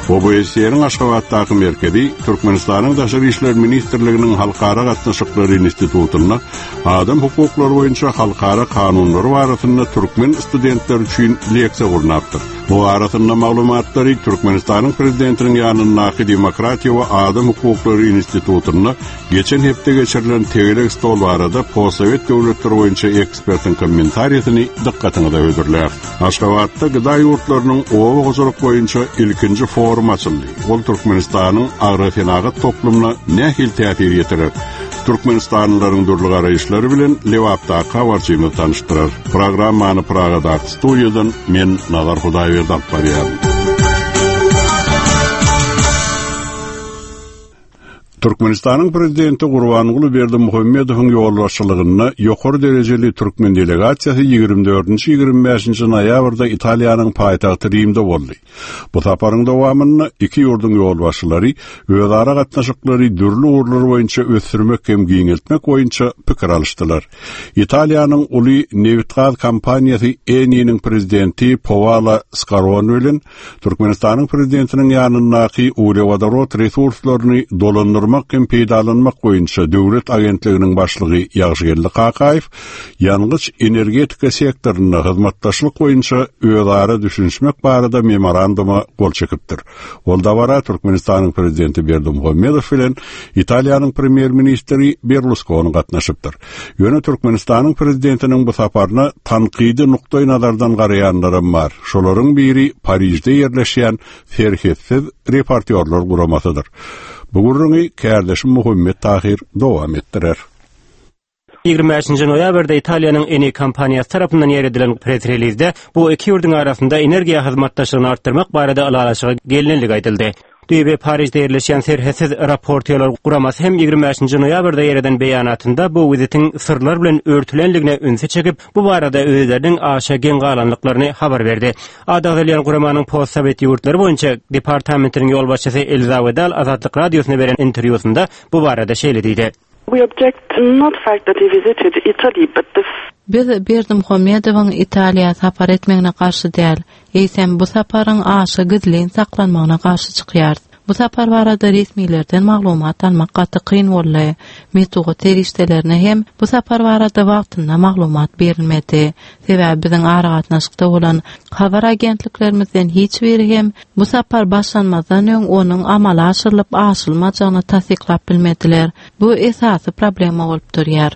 O B S E-niň Aşgabatdaky merkezi Türkmenistanyň Daşary işler ministrliginiň Halkara gatnaşyklary institutynda adam hukuklary boýunça halkara kanunlary barasynda türkmen studentleri üçin leksiýa gurnapdyr. Bu arasynda maglumatlary Türkmenistanyň Prezidentiniň ýanyndaky Demokratiýa we adam hukuklary institutynda geçen hepde geçirilen tegelek stol barada postsowet döwletleri boýunça ekspertiň kommentariýasyny dykgatyňyza hödürlär. Aşgabatda gıda ýurtlarynyň oba hojalyk boýunça ilkinji forum açyldy. Ol Türkmenistanyň agrosenagat toplumyna nähili täsir ýetirer? Türkmenistanlylaryň dürli garaýyşlary bilen Lebapdaky habarçymyz tanyşdyrar. Programmany Pragadaky studiýadan men Nazar Hudaýberdi alyp barýaryn. Türkmenistanyň Prezidenti Gurbanguly Berdimuhamedowyň ýolbaşçylygynda ýokary derejeli türkmen delegasiýasy ýigrimi dördünji ýigrimi bäşinji noýabrda Italiýanyň paýtagty Rimde boldy. Bu saparyň dowamynda iki ýurduň ýolbaşçylary özara gatnaşyklary dürli ugurlar boýunça ösdürmek hem giňeltmek boýunça pikir alyşdylar. Italiýanyň uly nebit-gaz kompaniýasy Eni-niň prezidenti Paolo Scaroni bilen Türkmenistanyň prezidentiniň ýanyndaky uglewodorod resurslaryny dolandyrmak hem peýdalanmak boýunça döwlet agentliginiň başlygy Ýagşygeldi Kakaýew ýangyç energetika sektorynda hyzmatdaşlyk boýunça özara düşünişmek barada memoranduma gol çekipdir. Ol dabara Türkmenistanyň prezidenti Berdimuhamedow bilen Italiýanyň premýer-ministri Berlusconi gatnaşypdyr. Ýöne Türkmenistanyň prezidentiniň bu saparyna tankydy nukdaý nazardan garaýanlaram bar. Şolaryň biri Parižde ýerleşýän Serhetsiz reportýorlar guramasydyr. Bu gürrüňi kärdeşim Muhammet Tahir dowam etdirer. Ýigrimi bäşinji noýabrda Italiýanyň Eni kompaniýasy tarapyndan ýer edilen press-relizde bu iki ýurduň arasynda energiýa hyzmatdaşlygyny artdyrmak barada ylalaşyga gelinendigi aýdyldy. Düýbi Parižde ýerleşýän Serhetsiz reportýorlar guramasy hem ýigrimi bäşinji noýabrda ýer eden beýanatynda bu wizitiň syrlar bilen örtülenligine ünsi çekip, bu barada özleriniň aşa geň galanlyklaryny habar berdi. Ady agzalýan guramanyň postsowet ýurtlary boýunça departamentiniň ýolbaşçysy Elza Wedal Azatlyk Radiosyna beren interwýusynda bu barada şeýle diýdi. We object not fact that he visited Italy, but the Biz Berdimuhamedowyň Italiýa sapar etmegine garşy däl, eýsem bu saparyň aşa gizlin saklanmagyna garşy çykýarys. Bu sapar barada resmilerden maglumat almak gaty kyn boldy. Metbugat serişdelerine hem bu sapar barada wagtynda maglumat berilmedi. Sebäbi biziň aragatnaşykda bolan habar agentliklerimizden hiç biri hem bu sapar başlanmazdan öň onuň amala aşyrylyp aşylmajagyny tassyklap bilmediler. Bu esasy problema bolup durýar.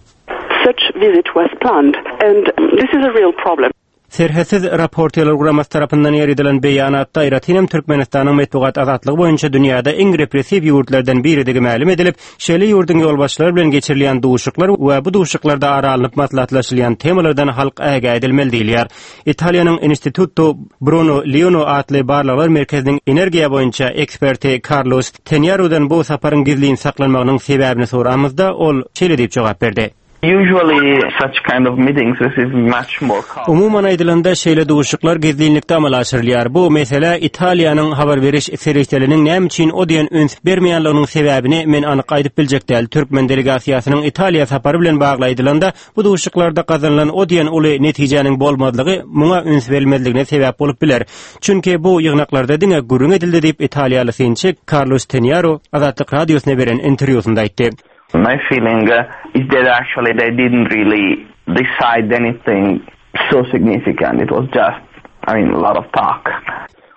Such visit was planned and this is a real problem. Serhetsiz reportýorlar guramasy tarapyndan ýer edilen beýanatda aýratyn hem Türkmenistanyň metbugat azatlygy boýunça dünýäde iň repressiw ýurtlardan biridigi mälim edilip, şeýle ýurduň ýolbaşçylary bilen geçirilýän duşuşyklar we bu duşuşyklarda ara alnyp maslahatlaşylýan temalardan halk ägä edilmeli diýilýär. Italiýanyň Instituto Bruno Leoni atly barlaglar merkeziniň energiýa boýunça eksperti Carlos Tenyarudan bu saparyň gizlin saklanmagynyň sebäbini soramyzda ol şeýle diýip jogap berdi. Usually such kind of meetings receive much more coverage. Umuman aýdylanda şeýle duşuşyklar gizlinlikde amala aşyrylýar. Bu mesele Italiýanyň habar beriş serişdeleriniň näme üçin o diýen üns bermeýänliginiň sebäbini men anyk aýdyp biljek däl. Türkmen delegasiýasynyň Italiýa sapary bilen bagly aýdylanda bu duşuşyklarda gazanylan o diýen uly netijäniň bolmazlygy muňa üns berilmezligine sebäp bolup biler. Çünki bu ýygnaklarda diňe gürrüň edildi diýip Italiýaly synçy Carlos Tenyaru Azatlyk Radiosyna beren interwýusynda aýtdy. My feeling is that actually they didn't really decide anything so significant. It was just, I mean, a lot of talk.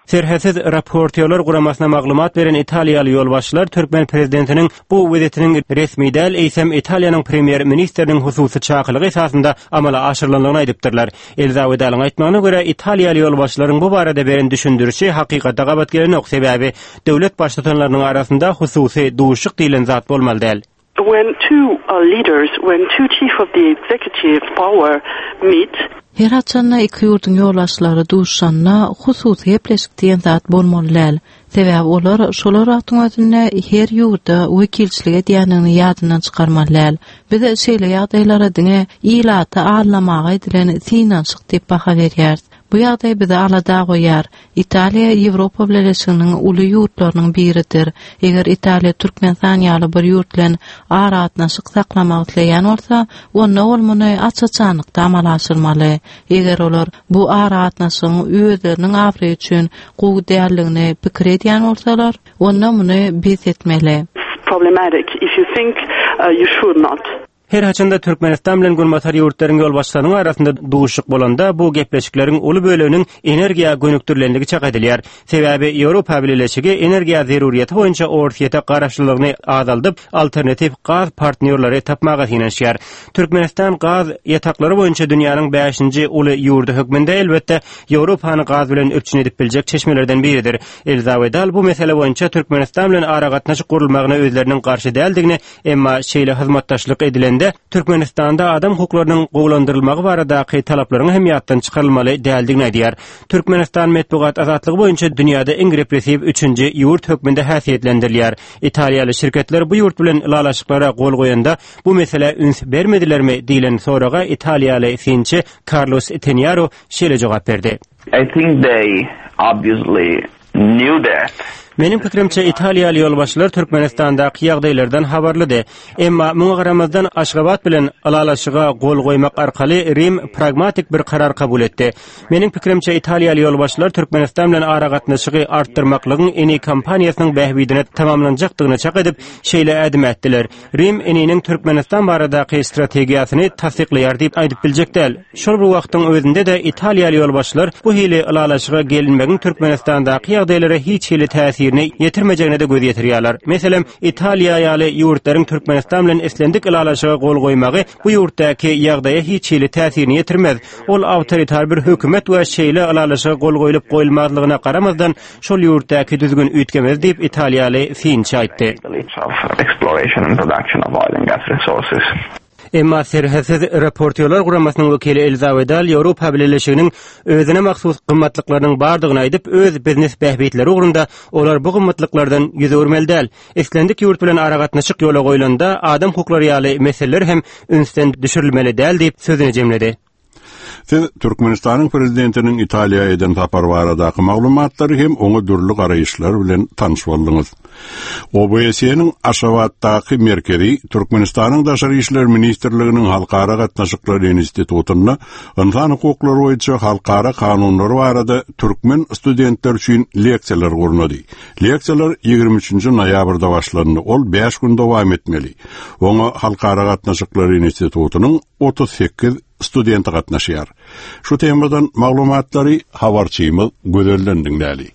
Serhetsiz Raportýorlar guramasyna maglumat beren Italiýaly ýolbaşçylar türkmen prezidentiniň bu wezitiniň resmi däl, eýsem Italiýanyň premýer-ministriniň hususy çakylygy esasynda amala aşyrylandygyny aýdypdyrlar. Elza Wedalyň aýtmagyna görä, Italiýaly ýolbaşçylaryň bu barada beren düşündirişi hakykata gabat gelenok, sebäbi döwlet baştutanlarynyň arasynda hususy duşuşyk diýlen zat bolmaly däl. When two uh, leaders, when two chief of the executive power meet, Her haçanda iki ýurduň ýolbaşçylary duşanda hususy gepleşik diýen zat bolmaly däl. Sebäbi olar şolar wagtyň özünde her ýurda wekilçilik edýänini ýadyndan çykarmaly däl. Biz şeýle ýagdaýlara diňe ilaty aldamaga edilen synanyşyk diýip baha berýäris. Bu ýagdaý bizi alada goýýar. Italiýa Ýewropa Bileleşiginiň uly ýurtlarynyň biridir. Eger Italiýa Türkmenistan ýaly bir ýurt bilen aragatnaşyk saklamak isleýän bolsa, onda ol muny aç-açanlykda amala aşyrmaly. Eger olar bu aragatnaşygyň özleriniň abraýy üçin gowy däldigini pikir edýän bolsalar, onda muny bes etmeli. it's problematic. If you think uh, you should not. Her haçanda Türkmenistan bilen Günbatar ýurtlaryň ýolbaşçylarynyň arasynda duşuşyk bolanda bu gepleşikleriň uly böleginiň energiýa gönükdirilenligi çak edilýär. Sebäbi Ýewropa Bileleşigi energiýa zeruriyeti boýunça Orsýete garaşlylygyny azaldyp, alternatiw gaz partnýorlary tapmaga synanyşýar. Türkmenistan gaz ýataklary boýunça dünýäniň bäşinji uly ýurdy hökmünde elbetde Ýewropany gaz bilen üpjün edip biljek çeşmelerden biridir. Elza Wedal bu mesele boýunça Türkmenistan bilen aragatnaşyk gurulmagyna özleriniň garşy däldigini, emma şeýle hyzmatdaşlyk edilende Türkmenistanda adam hukuklarynyň gowulandyrylmagy baradaky talaplaryň hem ýatdan çykarylmaly däldigini aýdýar. Türkmenistan metbugat azatlygy boýunça dünýäde iň repressiw üçünji ýurt hökmünde häsiýetlendirilýär. Italiýaly şirketler bu ýurt bilen ylalaşyklara gol goýanda bu mesele üns bermedilermi diýlen soraga Italiýaly synçy Carlos Tenaro şeýle jogap berdi. I think they obviously knew that. Meniň pikirimçe Italiýaly ýolbaşçylar Türkmenistandaky ýagdaýlardan habarlydy. Emma muňa garamazdan Aşgabat bilen ylalaşyga gol goýmak arkaly Rim pragmatik bir karar kabul etdi. Meniň pikirimçe Italiýaly ýolbaşçylar Türkmenistan bilen aragatnaşygy artdyrmaklygyň Eni kompaniýasynyň bähbidine tamamlanjakdygyny çak edip, şeýle ädim ätdiler. Rim Eniniň Türkmenistan baradaky strategiýasyny tassyklaýar diýip aýdyp biljek däl. Şol bir wagtyň özünde de Italiýaly ýolbaşçylar bu hili ylalaşyga gelinmegiň Türkmenistandaky ýagdaýlara hiç hili täsirini ýetirmejegine de göz ýetirýärler. Meselem, Italiýa ýaly ýurtlaryň Türkmenistan bilen islendik ylalaşyga gol goýmagy bu ýurtdaky ýagdaýa hiç hili täsirini ýetirmez. Ol awtoritar bir hökümet we şeýle ylalaşyga gol goýlup goýulmazlygyna garamazdan şol ýurtdaky düzgün üýtgemez diýip Italiýaly synçy aýtdy. Of exploration and production of oil and gas resources. Emma Serhetsiz Raportýorlar guramasynyň wekili Elza Wedal Ýewropa Bileleşiginiň özüne mahsus gymmatlyklarynyň bardygyny aýdyp, öz biznes bähbitleri ugrunda olar bu gymmatlyklardan ýüz öwürmeli däl. Islendik ýurt bilen aragatnaşyk ýola goýlanda adam hukuklary ýaly meseleler hem ünsden düşürilmeli däl diýip sözüni jemledi. Siz Türkmenistanyň prezidentiniň Italiýa eden sapary baradaky maglumatlary hem oňa dürli garaýyşlar bilen tanyş bolduňyz. O B S E-niň Aşgabatdaky merkezi Türkmenistanyň Daşary işler ministrliginiň Halkara gatnaşyklary institutynda ynsan hukuklary boýunça halkara kanunlary barada türkmen studentler üçin leksiýalar gurnady. Leksiýalar ýigrimi üçünji noýabrda başlandy. Ol bäş gün dowam etmeli. Oňa Halkara gatnaşyklary institutynyň otuz sekiz studenti gatnaşýar. Şu temadan maglumatlary habarçymyz Gözelden diňläli.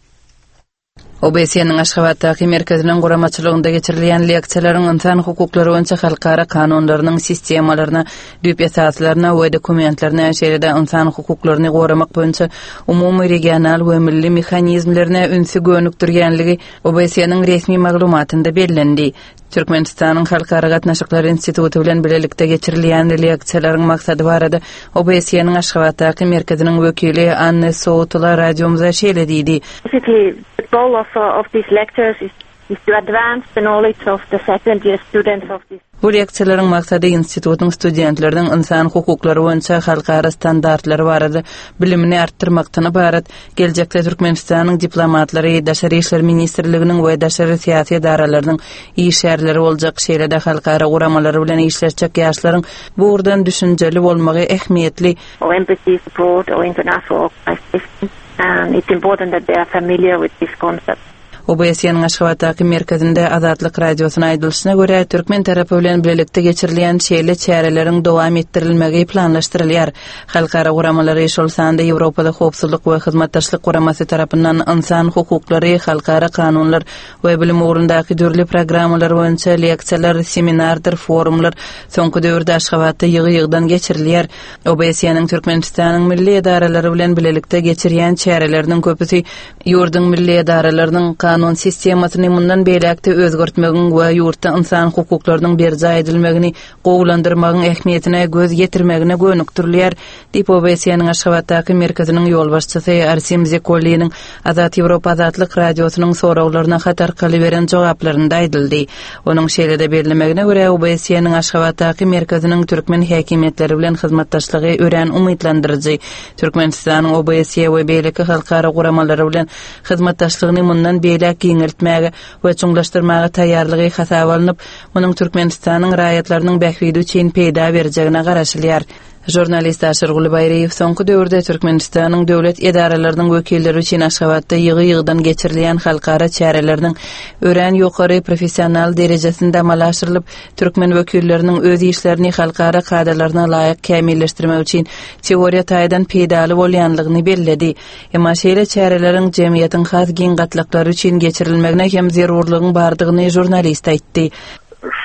O B S E-niň Aşgabatdaky merkeziniň guramaçylygynda geçirilýän leksiýalaryň ynsan hukuklary boýunça halkara kanunlarynyň sistemalaryna, düýp esaslaryna we dokumentlerine, şeýle-de ynsan hukuklaryny goramak boýunça umumy regional we milli mehanizmlerine ünsi gönükdirýänligi O B S E-niň resmi maglumatynda bellendi. Türkmenistanyň Halkara gatnaşyklary instituty bilen birlikde geçirilýän leksiýalaryň maksady barada O B S E-niň Aşgabatdaky merkeziniň wekili Anne Soutula radiomyza şeýle diýdi. Basically, the goal of, uh, of these lectures is, is to advance the knowledge of the second year students of this Bu leksiýalaryň maksady institutyň studentleriniň ynsan hukuklary boýunça halkara standartlary barada bilimini artdyrmakdan ybarat. Geljekde Türkmenistanyň diplomatlary, Daşary işler ministrliginiň we daşary syýasy edaralarynyň işgärleri boljak, şeýle-de halkara guramalary bilen işleşjek ýaşlaryň bu ugurdan düşünjeli bolmagy ähmiýetli. Or embassies abroad or international organizations. And it's important that they are familiar with this concept. O B S E-niň Aşgabatdaky merkezinde Azatlyk Radiosyna aýdylyşyna görä, türkmen tarapy bilen birlikde geçirilýän şeýle çäreleriň dowam etdirilmegi planlaşdyrylýar. Halkara guramalary, şol sanda Ýewropada Howpsuzlyk we Hyzmatdaşlyk Guramasy tarapyndan ynsan hukuklary, halkara kanunlar we bilim ugrundaky dürli programmalar boýunça leksiýalar, seminardyr forumlar soňky döwürde Aşgabatda ýygy-ýygydan geçirilýär. O B S E-niň Türkmenistanyň milli edaralary bilen birlikde geçirýän çäreleriniň köpüsi ýurduň milli edaralarynyň kanun sistemasyny mundan beýläk-de özgertmegiň we ýurtda ynsan hukuklarynyň berjaý edilmegini gowulandyrmagyň ähmiýetine göz ýetirmegine gönükdirilýär, diýip O B S E-niň Aşgabatdaky merkeziniň ýolbaşçysy Arsim Zekolliniň Azat Ýewropa Azatlyk Radiosynyň soraglaryna hat arkaly beren jogaplarynda aýdyldy. Onuň şeýle-de bellemegine görä, O B S E-niň Aşgabatdaky merkeziniň türkmen häkimiýetleri bilen hyzmatdaşlygy örän umytlandyryjy. Türkmenistanyň O B S E we beýleki halkara guramalary bilen hyzmatdaşlygyny mundan beýläk giňeltmäge we çuňlaşdyrmaga taýýarlygy hasaba alnyp, munuň Türkmenistanyň raýatlarynyň bähbidi üçin peýda berjegine garaşylýar. Žurnalist Aşyrguly Baýryýew soňky döwürde Türkmenistanyň döwlet edaralarynyň wekilleri üçin Aşgabatda ýygy-ýygydan geçirilýän halkara çäreleriniň örän ýokary professional derejesinde amala aşyrylyp, türkmen wekilleriniň öz işlerini halkara kadalaryna laýyk kämilleşdirmek üçin teoriýa taýdan peýdaly bolýanlygyny belledi. Emma şeýle çäreleriň jemgyýetiň has giň gatlaklary üçin geçirilmegine hem zerurlygyň bardygyny žurnalist aýtdy.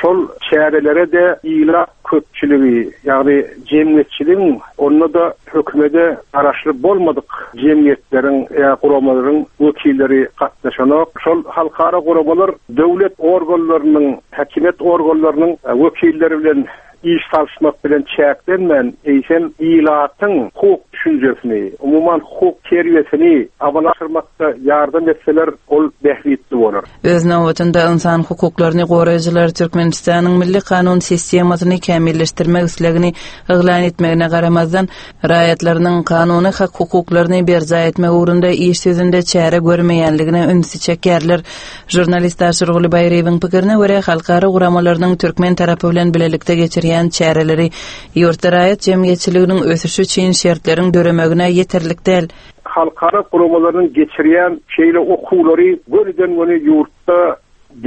Şol çärelere-de ilat köpçüligi, ýagny jemgyýetçiligiň, onda-da hökümete garaşly bolmadyk jemgyýetleriň ýa guramalaryň wekilleri gatnaşanok. Şol halkara guramalar döwlet organlarynyň, häkimiýet organlarynyň wekilleri bilen iş salyşmak bilen çäklenmän, eýsem ilatyň hukuk düşünjesini, umuman hukuk terbiýesini amala aşyrmakda ýardam etseler, ol bähbitli bolar. Öz nobatynda ynsan hukuklaryny goraýjylar Türkmenistanyň milli kanun sistemasyny kämilleşdirmek islegini yglan etmegine garamazdan, raýatlarynyň kanuny hak hukuklaryny berjaý etmek ugrunda iş ýüzünde çäre görmeýänligine ünsi çekýärler. Žurnalist Aşyrguly Baýryýewiň pikirine görä, halkara guramalarynyň türkmen tarapy bilen birlikde geçirýän çäreleri ýurtda raýat jemgyýetçiliginiň ösüşi üçin şertleriň döremegine ýeterlik däl. Halkara guramalarynyň geçirýän şeýle okuwlary gönüden-göni ýurtda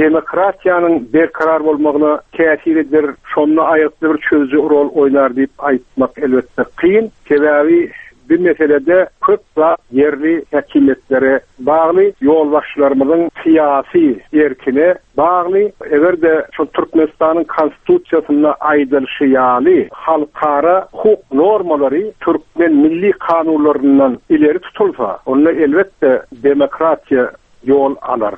demokratiýanyň berkarar bolmagyna täsir eder, şonda aýgytly bir çözüji rol oýnar diýip aýtmak elbetde kyn. Sebäbi bir meselede köp zat ýerli häkimiýetlere bagly, ýolbaşçylarymyzyň syýasy erkine bagly. Eger-de şu Türkmenistanyň konstitusiýasynda aýdylyşy ýaly halkara hukuk normalary türkmen milli kanunlaryndan ileri tutulsa, onda elbetde demokratiýa ýol alar.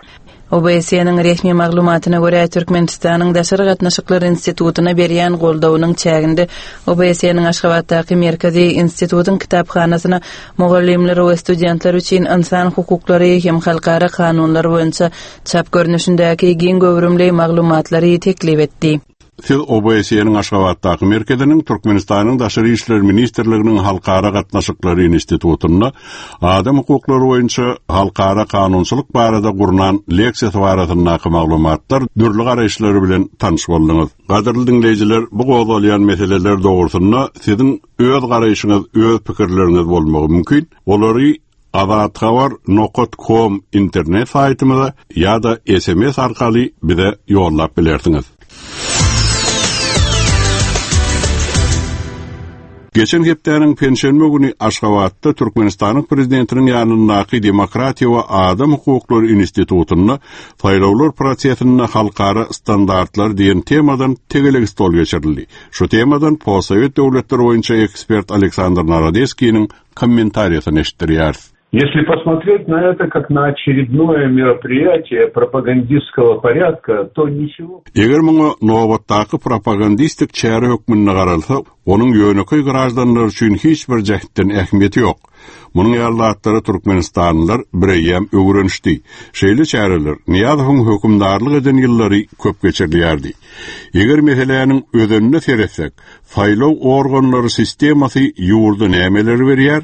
O B S E-niň resmi maglumatyna görä, Türkmenistanyň Daşary gatnaşyklar institutyna berýän goldawynyň çäginde O B S E-niň Aşgabatdaky merkezi institutyň kitaphanasyna mugallymlar we studentler üçin ynsan hukuklary hem halkara kanunlar boýunça çap görnüşindäki giň göwrümli maglumatlary teklip etdi. Siz O B S E-niň Aşgabatdaky merkeziniň Türkmenistanyň Daşary işler ministrliginiň Halkara gatnaşyklary institutynda adam hukuklary boýunça halkara kanunçylyk barada gurnan leksiýasy barasyndaky maglumatlar dürli garaýyşlary bilen tanyş bolduňyz. Gadyrly diňleýjiler, bu gozgalýan meseleler dogrusynda siziň öz garaýşyňyz, öz pikirleriňiz bolmagy mümkin. Olary azathabar nokta com internet saýtymyza ýa-da S M S arkaly bize ýollap bilersiňiz. Geçen hepdäniň penşenbe güni Aşgabatda Türkmenistanyň prezidentiniň ýanyndaky Demokratiýa we adam hukuklary institutynda saýlawlar prosesinde halkara standartlar diýen temadan tegelek stol geçirildi. Şu temadan postsowet döwletleri boýunça ekspert Aleksandr Narodeskiniň kommentariýasyny eşitdirýäris. Если посмотреть на это как на очередное мероприятие пропагандистского порядка, то ничего. Eger muňa nobatdaky propagandistik çäre hökmünde garalsa, onuň ýönekeý graždanlar üçin hiç bir jähtden ähmiýeti ýok. Munuň ýaly zatlara Türkmenistanlylar bireýem öwrenişdi. Şeýle çäreler Niýazowyň hökümdarlyk eden ýyllary köp geçirilýärdi. Eger meseläniň özenine seretsek, saýlaw organlary sistemasy ýurda nämeleri berýär,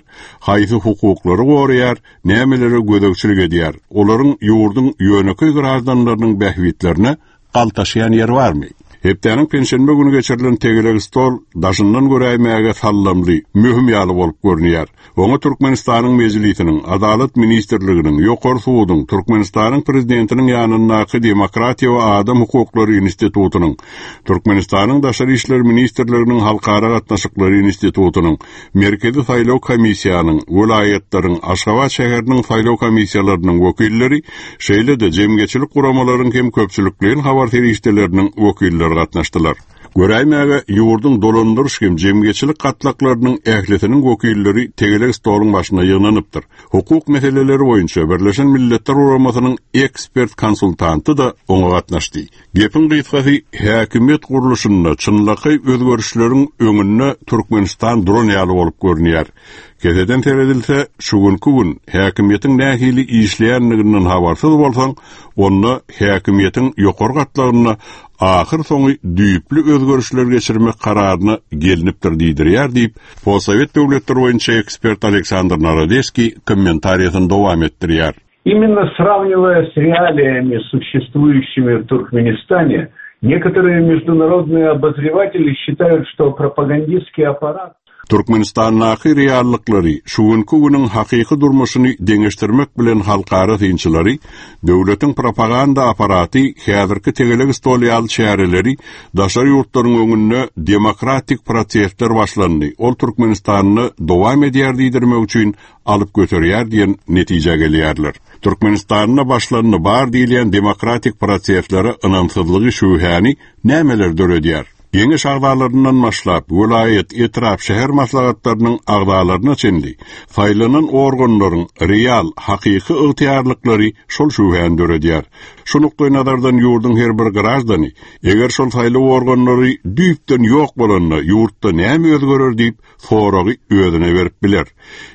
haýsy hukuklary goraýar, nämelere gözegçilik edýär. Olaryň ýurduň ýönekeý graždanlarynyň bähbitlerine galtaşýan ýeri barmy? Hepdäniň penşenbe güni geçirilen tegelek stol daşyndan göräýmäge sallamly, möhüm ýaly bolup görünýär. Oňa Türkmenistanyň Mejlisiniň, Adalat ministrliginiň, Ýokary suduň, Türkmenistanyň prezidentiniň ýanyndaky Demokratiýa we adam hukuklary institutynyň, Türkmenistanyň Daşary işler ministrliginiň Halkara gatnaşyklary institutynyň, Merkezi saýlaw komissiýanyň, welaýatlaryň, Aşgabat şäheriniň saýlaw komissiýalarynyň wekilleri, şeýle-de jemgyýetçilik guramalaryň hem köpçülikleýin habar serişdeleriniň wekilleri gatnaşdylar. Göräýmäge ýurduň dolandyryş hem jemgyýetçilik gatlaklarynyň ählisiniň wekilleri tegelek stoluň başyna ýygnanypdyr. Hukuk meseleleri boýunça Birleşen Milletler Guramasynyň ekspert konsultanty da oňa gatnaşdy. Gepiň gysgasy häkimiýet gurluşynda çynlakaý özgerişleriň öňünde Türkmenistan duran ýaly bolup görünýär. Keseden seredilse, şu günki gün häkimiýetiň nähili işleýänliginden habarsyz bolsaň, onda häkimiýetiň ýokary gatlagynda ahyr soňy düýpli özgerişler geçirmek kararyna gelinipdir diýdirýär diýip, Postsowet döwletleri boýunça ekspert Aleksandr Narodeskiý kommentariýasyny dowam etdirýär. Именно сравнивая с реалиями, существующими в Туркменистане, некоторые международные обозреватели считают, что пропагандистский аппарат Türkmenistandaky reallyklary şu günki günüň hakyky durmuşyny deňeşdirmek bilen halkara synçylary döwletiň propaganda aparaty häzirki tegelek stol ýaly çäreleri daşary ýurtlaryň öňünde demokratik prosesler başlandy. Ol Türkmenistanda dowam edýär diýdirmek üçin alyp göterýär diýen netijä gelýärler. Türkmenistanda başlandy bar diýilýän demokratik proseslere ynamsyzlygy şübhäni nämeler döredýär? Geňeş agzalaryndan başlap, welaýat, etrap, şäher maslahatlarynyň agzalaryna çenli saýlanan organlaryň real, hakyky ygtyýarlyklary şol şübhäni döredýär. Şu nukdaý nazardan ýurduň her bir graždany, eger şol saýlaw organlary düýpden ýok bolanda ýurtda näme özgerer diýip soragy özüne berip biler.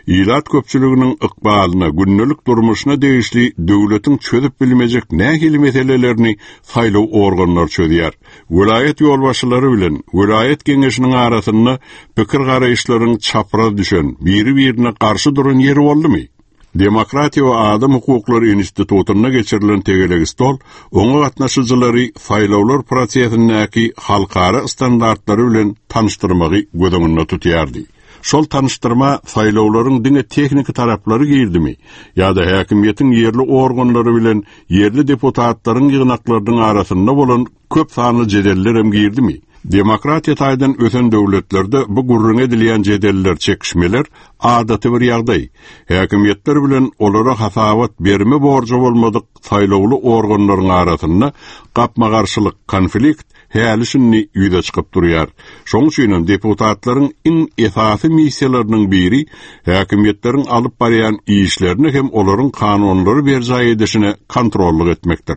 Ilat köpçüliginiň ykbalyna, gündelik durmuşyna degişli döwletiň çözüp bilmejek nähili meselelerini saýlaw organlary çözýär. Welaýat ýolbaşçylary bilen welaýat geňeşiniň arasynda pikir garaýyşlaryň çapraz düşen, biri-birine garşy duran ýeri boldumy? Demokratiýa we adam hukuklary institutynda geçirilen tegelek stol oňa gatnaşyjylary saýlawlar prosesindäki halkara standartlary bilen tanyşdyrmagy göz öňünde tutýardy. Şol tanyşdyrma saýlawlaryň diňe tehniki taraplary girdimi ýa-da häkimiýetiň ýerli organlary bilen ýerli deputatlaryň ýygnaklarynyň arasynda bolan köp sanly jedeller hem girdimi? Demokratiýa taýdan ösen döwletlerde bu gürrüň edilýän jedeller, çekişmeler adaty bir ýagdaý. Häkimiýetler bilen olara hasabat berme borjy bolmadyk saýlawly organlaryň arasynda gapma-garşylyk, konflikt häli şindi ýüze çykyp durýar. Şonuň üçin hem deputatlaryň iň esasy missiýalarynyň biri häkimiýetleriň alyp barýan işlerini hem olaryň kanunlary berjaý edişine kontrollyk etmekdir.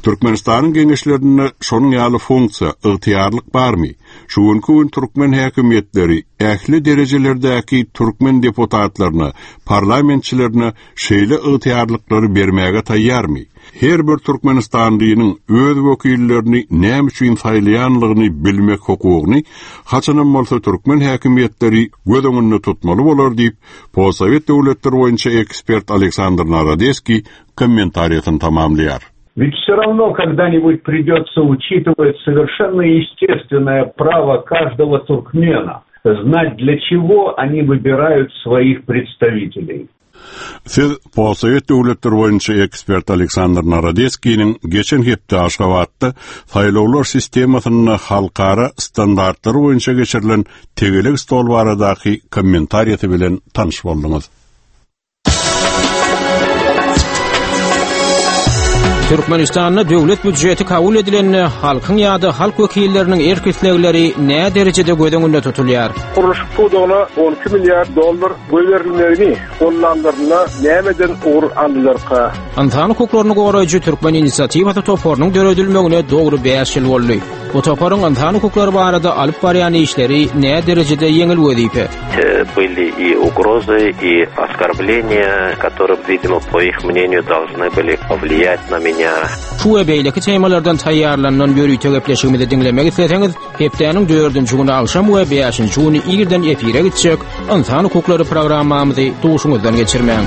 Türkmenistanyň geňeşlerinde şonuň ýaly funksiýa, ygtyýarlyk barmy? Şu günki gün türkmen häkimiýetleri ähli derejelerdäki türkmen deputatlaryna, parlamentçilerine şeýle ygtyýarlyklary bermäge taýýarmy? Her bir Türkmenistanlynyň öz wekillerini näme üçin saýlaýanlygyny bilmek hukugyny haçanam bolsa türkmen häkimiýetleri göz öňünde tutmaly bolar diýip, Postsowet döwletleri boýunça ekspert Aleksandr Narodeskiý kommentariýasyny tamamlaýar. Ведь все равно когда-нибудь придется учитывать совершенно естественное право каждого туркмена знать, для чего они выбирают своих представителей. Siz Postsowet döwletleri boýunça ekspert Aleksandr Narodeskiniň geçen hepde Aşgabatda saýlawlar sistemasynda halkara standartlary boýunça geçirilen tegelek stol baradaky kommentariýasy bilen tanyş bolduňyz. Türkmenistanda döwlet býudjeti kabul edilende halkyň ýa-da halk wekilleriniň erk islegleri nä derejede göz öňünde tutulýar? Gurluşyk pudagyna on iki milliard dollar goýberilmegini gollanlarynda nämeden ugur aldylarka? Ynsan hukuklaryny goraýjy Türkmen inisiatiwasy toparynyň döredilmegine dogry bäş ýyl boldy. Bu toparyň ynsan hukuklary barada alyp barýan işleri nä derejede ýeňil wezipe? Были и угрозы, и оскорбления, которые, видимо, по их мнению, должны были повлиять на меня. Şu we beýleki temalardan taýýarlanan ýörite gepleşigimizi diňlemek isleseňiz, hepdäniň dördünji güni agşam we bäşinji güni irden efire gitjek Ynsan hukuklary programmamyzy duşuňyzdan geçirmäň.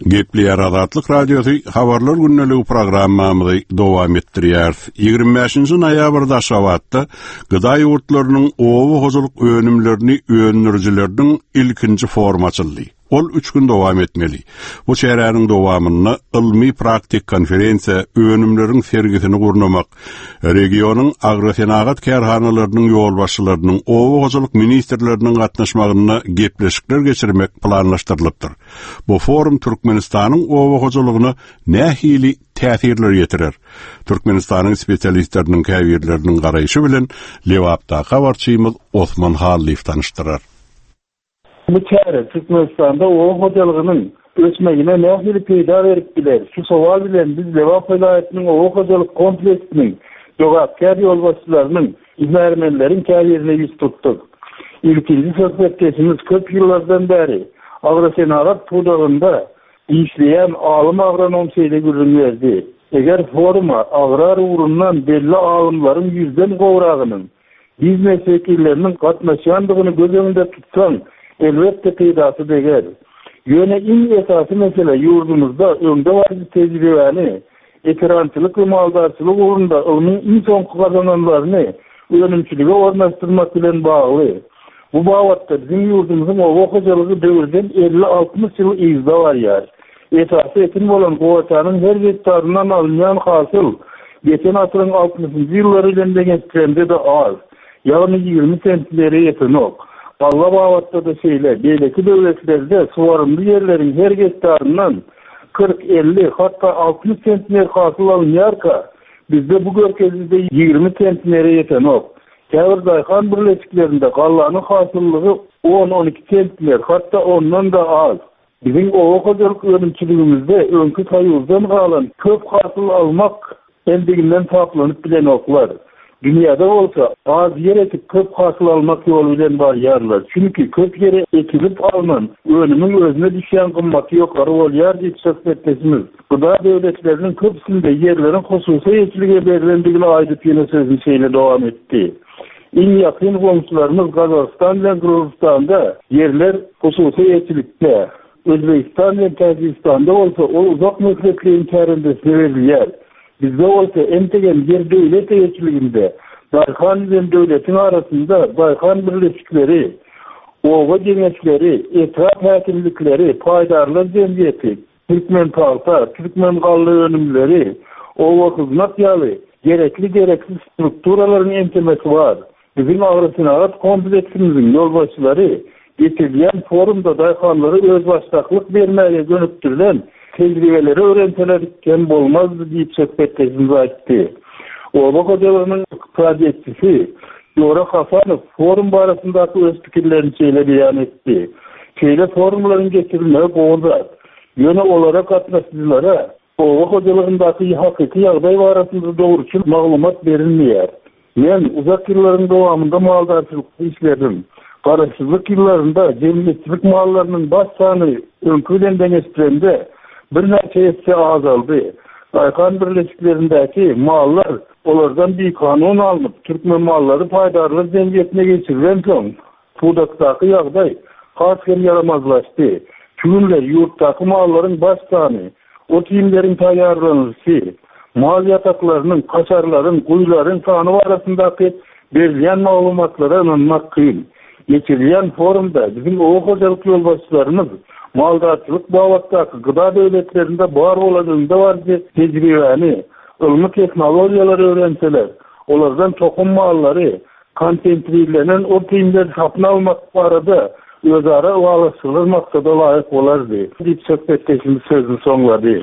Gepleýär Azatlyk Radiosy habarlar gündeligi programmamyzy dowam etdirýär. Ýigrimi bäşinji noýabrda Aşgabatda G D A ýurtlarynyň oba hojalyk önümlerini öndürijileriniň ilkinji forumy açyldy. Ol üç gün dowam etmeli. Bu çäräniň dowamynda ylmy praktik konferensiýa, önümleriň sergisini gurnamak, regionyň agrosenagat kärhanalarynyň ýolbaşçylarynyň, oba hojalyk ministrleriniň gatnaşmagynda gepleşikler geçirmek planlaşdyrylypdyr. Bu forum Türkmenistanyň oba hojalygyna nähili täsirler ýetirer? Türkmenistanyň spesialistleriniň käbirleriniň garaýşy bilen Lebapdaky habarçymyz Osman Hallyýew tanyşdyrar. Bu çäre Türkmenistanda oba hojalygynyň ösmegine nähili peýda berip biler? Şu sowal bilen biz Lebap welaýatynyň oba hojalyk kompleksiniň jogapkär ýolbaşçylarynyň, hünärmenleriň käbirine ýüz tutduk. Ilkinji söhbetdeşimiz köp ýyllardan bäri agrosenagat pudagynda işleýän alym agronom şeýle gürrüň berdi. Eger foruma agrar ugrundan belli alymlaryň ýüzden gowragynyň, biznes wekilleriniň gatnaşýandygyny göz öňünde tutsaň, elbetde peýdasy deger. Ýöne iň esasy mesele ýurdumyzda öňde baryjy tejribäni, ekerançylyk we maldarçylyk ugrunda ylmyň iň soňky gazananlaryny önümçilige ornaşdyrmak bilen bagly. Bu babatda biziň ýurdumyzyň oba hojalygy döwürden elli-altmyş ýyl yzda barýar. Esasy ekin bolan gowaçanyň her gektaryndan alynýan hasyl geçen asyryň altmyşynjy ýyllary bilen deňeşdirende-de az, ýagny ýigrimi sentnere ýetenok. Galla babatda-da şeýle, beýleki döwletlerde suwarymly ýerleriň her gektaryndan kyrk, elli, hatda altmyş sentner hasyl alynýarka, bizde bu görkeziji-de ýigrimi sentnere ýetenok. Käbir daýhan birleşiklerinde gallanyň hasyllygy on-on iki sentner, hatda ondan-da az. Biziň oba hojalyk önümçiligimizde öňki Soýuzdan galan köp hasyl almak endiginden saplanyp bilenoklar. Dünýäde bolsa az ýer ekip köp hasyl almak ýoly bilen barýarlar. Çünki köp ýere ekilip alnan önümiň özüne düşýän gymmaty ýokary bolýar diýip söhbetdeşimiz G D A döwletleriniň köpüsinde ýerleriň hususy eýeçilige berlendigini aýdyp ýene sözüni şeýle dowam etdi. Iň ýakyn goňşularymyz Gazagystan bilen Gyrgyzystanda ýerler hususy eýeçilikde, Özbegistan bilen Täjigistanda bolsa ol uzak möhletleýin kärendesine berilýär. Bizde bolsa entegem ýer döwlet eýeçiliginde, daýhan bilen döwletiň arasynda daýhan birleşikleri, oba geňeşleri, etrap häkimlikleri, paýdarlar jemgyýeti, Türkmen pagta, Türkmen galla önümleri, oba hyzmat ýaly gerekli gereksiz strukturalaryň ençemesi bar. Biziň agrosenagat kompleksimiziň ýolbaşçylary geçirilýän forumda daýhanlara özbaşdaklyk bermäge gönükdirilen tejribeleri öwrenseler kem bolmazdy diýip söhbetdeşimiz aýtdy. Oba hojalygynyň ykdysadyýetçisi Jora Hasanow forum barasyndaky öz pikirlerini şeýle beýan etdi. Şeýle forumlaryň geçirilmegi gowy zat. Ýöne olara gatnaşyjylara oba hojalygyndaky hakyky ýagdaý barasynda dogruçyl maglumat berilmeýär. Men uzak ýyllaryň dowamynda maldarçylykda işledim. Garaşsyzlyk ýyllarynda jemgyýetçilik mallarynyň baş sany öňki bilen deňeşdirende birnäçe esse azaldy. Daýhan birleşiklerindäki mallar olardan bikanun alnyp, Türkmen mallary paýdarlar jemgyýetine geçirilensoň, pudakdaky ýagdaý has hem ýaramazlaşdy. Şu günler ýurtdaky mallaryň baş sany, ot-iýmleriň taýýarlanylyşy, mal ýataklarynyň, kaşarlaryň, guýularyň sany barasyndaky berilýän maglumatlara ynanmak kyn. Geçirilýän forumda biziň oba hojalyk ýolbaşçylarymyz maldarçylyk babatdaky G D A döwletlerinde bar bolan öňdebaryjy tejribäni, ylmy tehnologiýalary öwrenseler, olardan tohum mallary, konsentrirlenen ot-iýmleri satyn almak barada özara ylalaşyklar maksada laýyk bolardy diýip söhbetdeşimiz sözüni soňlady.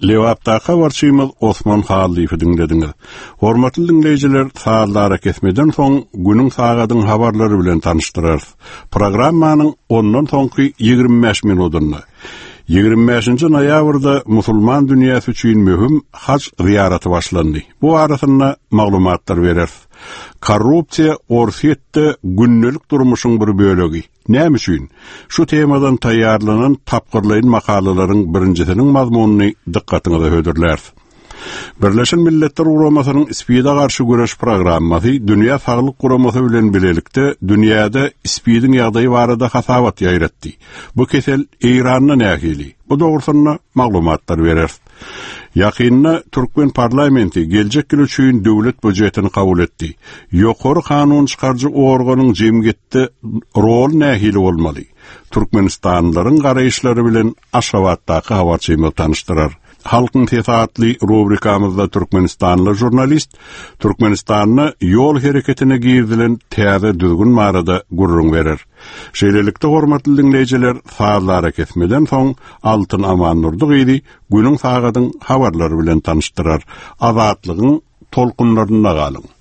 Lebapdaky habarçymyz Osman Hallyýewi diňlediňiz. Hormatly diňleýjiler, sazlara kesmeden soň günüň sagadyň habarlary bilen tanyşdyrarys. Programmanyň ondan soňky ýigrimi bäş minutynda ýigrimi bäşinji noýabrda musulman dünýäsi üçin möhüm haj zyýaraty başlandy. Bu arasynda maglumatlar bereris. Korrupsiýa Orsýetde gündelik durmuşyň bir bölegi. Näme üçin? Şu temadan taýýarlanan tapgyrlaýyn makalalaryň birinjisiniň mazmunyny dykgatyňyza hödürläris. Birleşen Milletler Guramasynyň SPID-e garşy göreş programmasy Dünýä Saglyk Guramasy bilen bilelikde dünýäde SPID-iň ýagdaýy barada hasabat ýaýratdy. Bu kesel Eýranda nähili? Bu dogrusynda maglumatlar berer. Ýakynda Türkmen parlamenti geljek ýyl üçin döwlet býujetini kabul etdi. Ýokary kanun çykaryjy organyň jemgyýetde rol nähili bolmaly? Türkmenistanlylaryň garaýyşlary bilen Aşgabatdaky habarçymyz tanyşdyrar. Halkyň sesi atly rubrikamyzda Türkmenistanly žurnalist Türkmenistanda ýol hereketine girizilen täze düzgün barada gürrüň berer. Şeýlelikde hormatly diňleýjiler, sazlara kesmeden soň Altyn Amandurdy gyzy günüň sagadyň habarlary bilen tanyşdyrar. Azatlygyň tolkunlarynda galyň.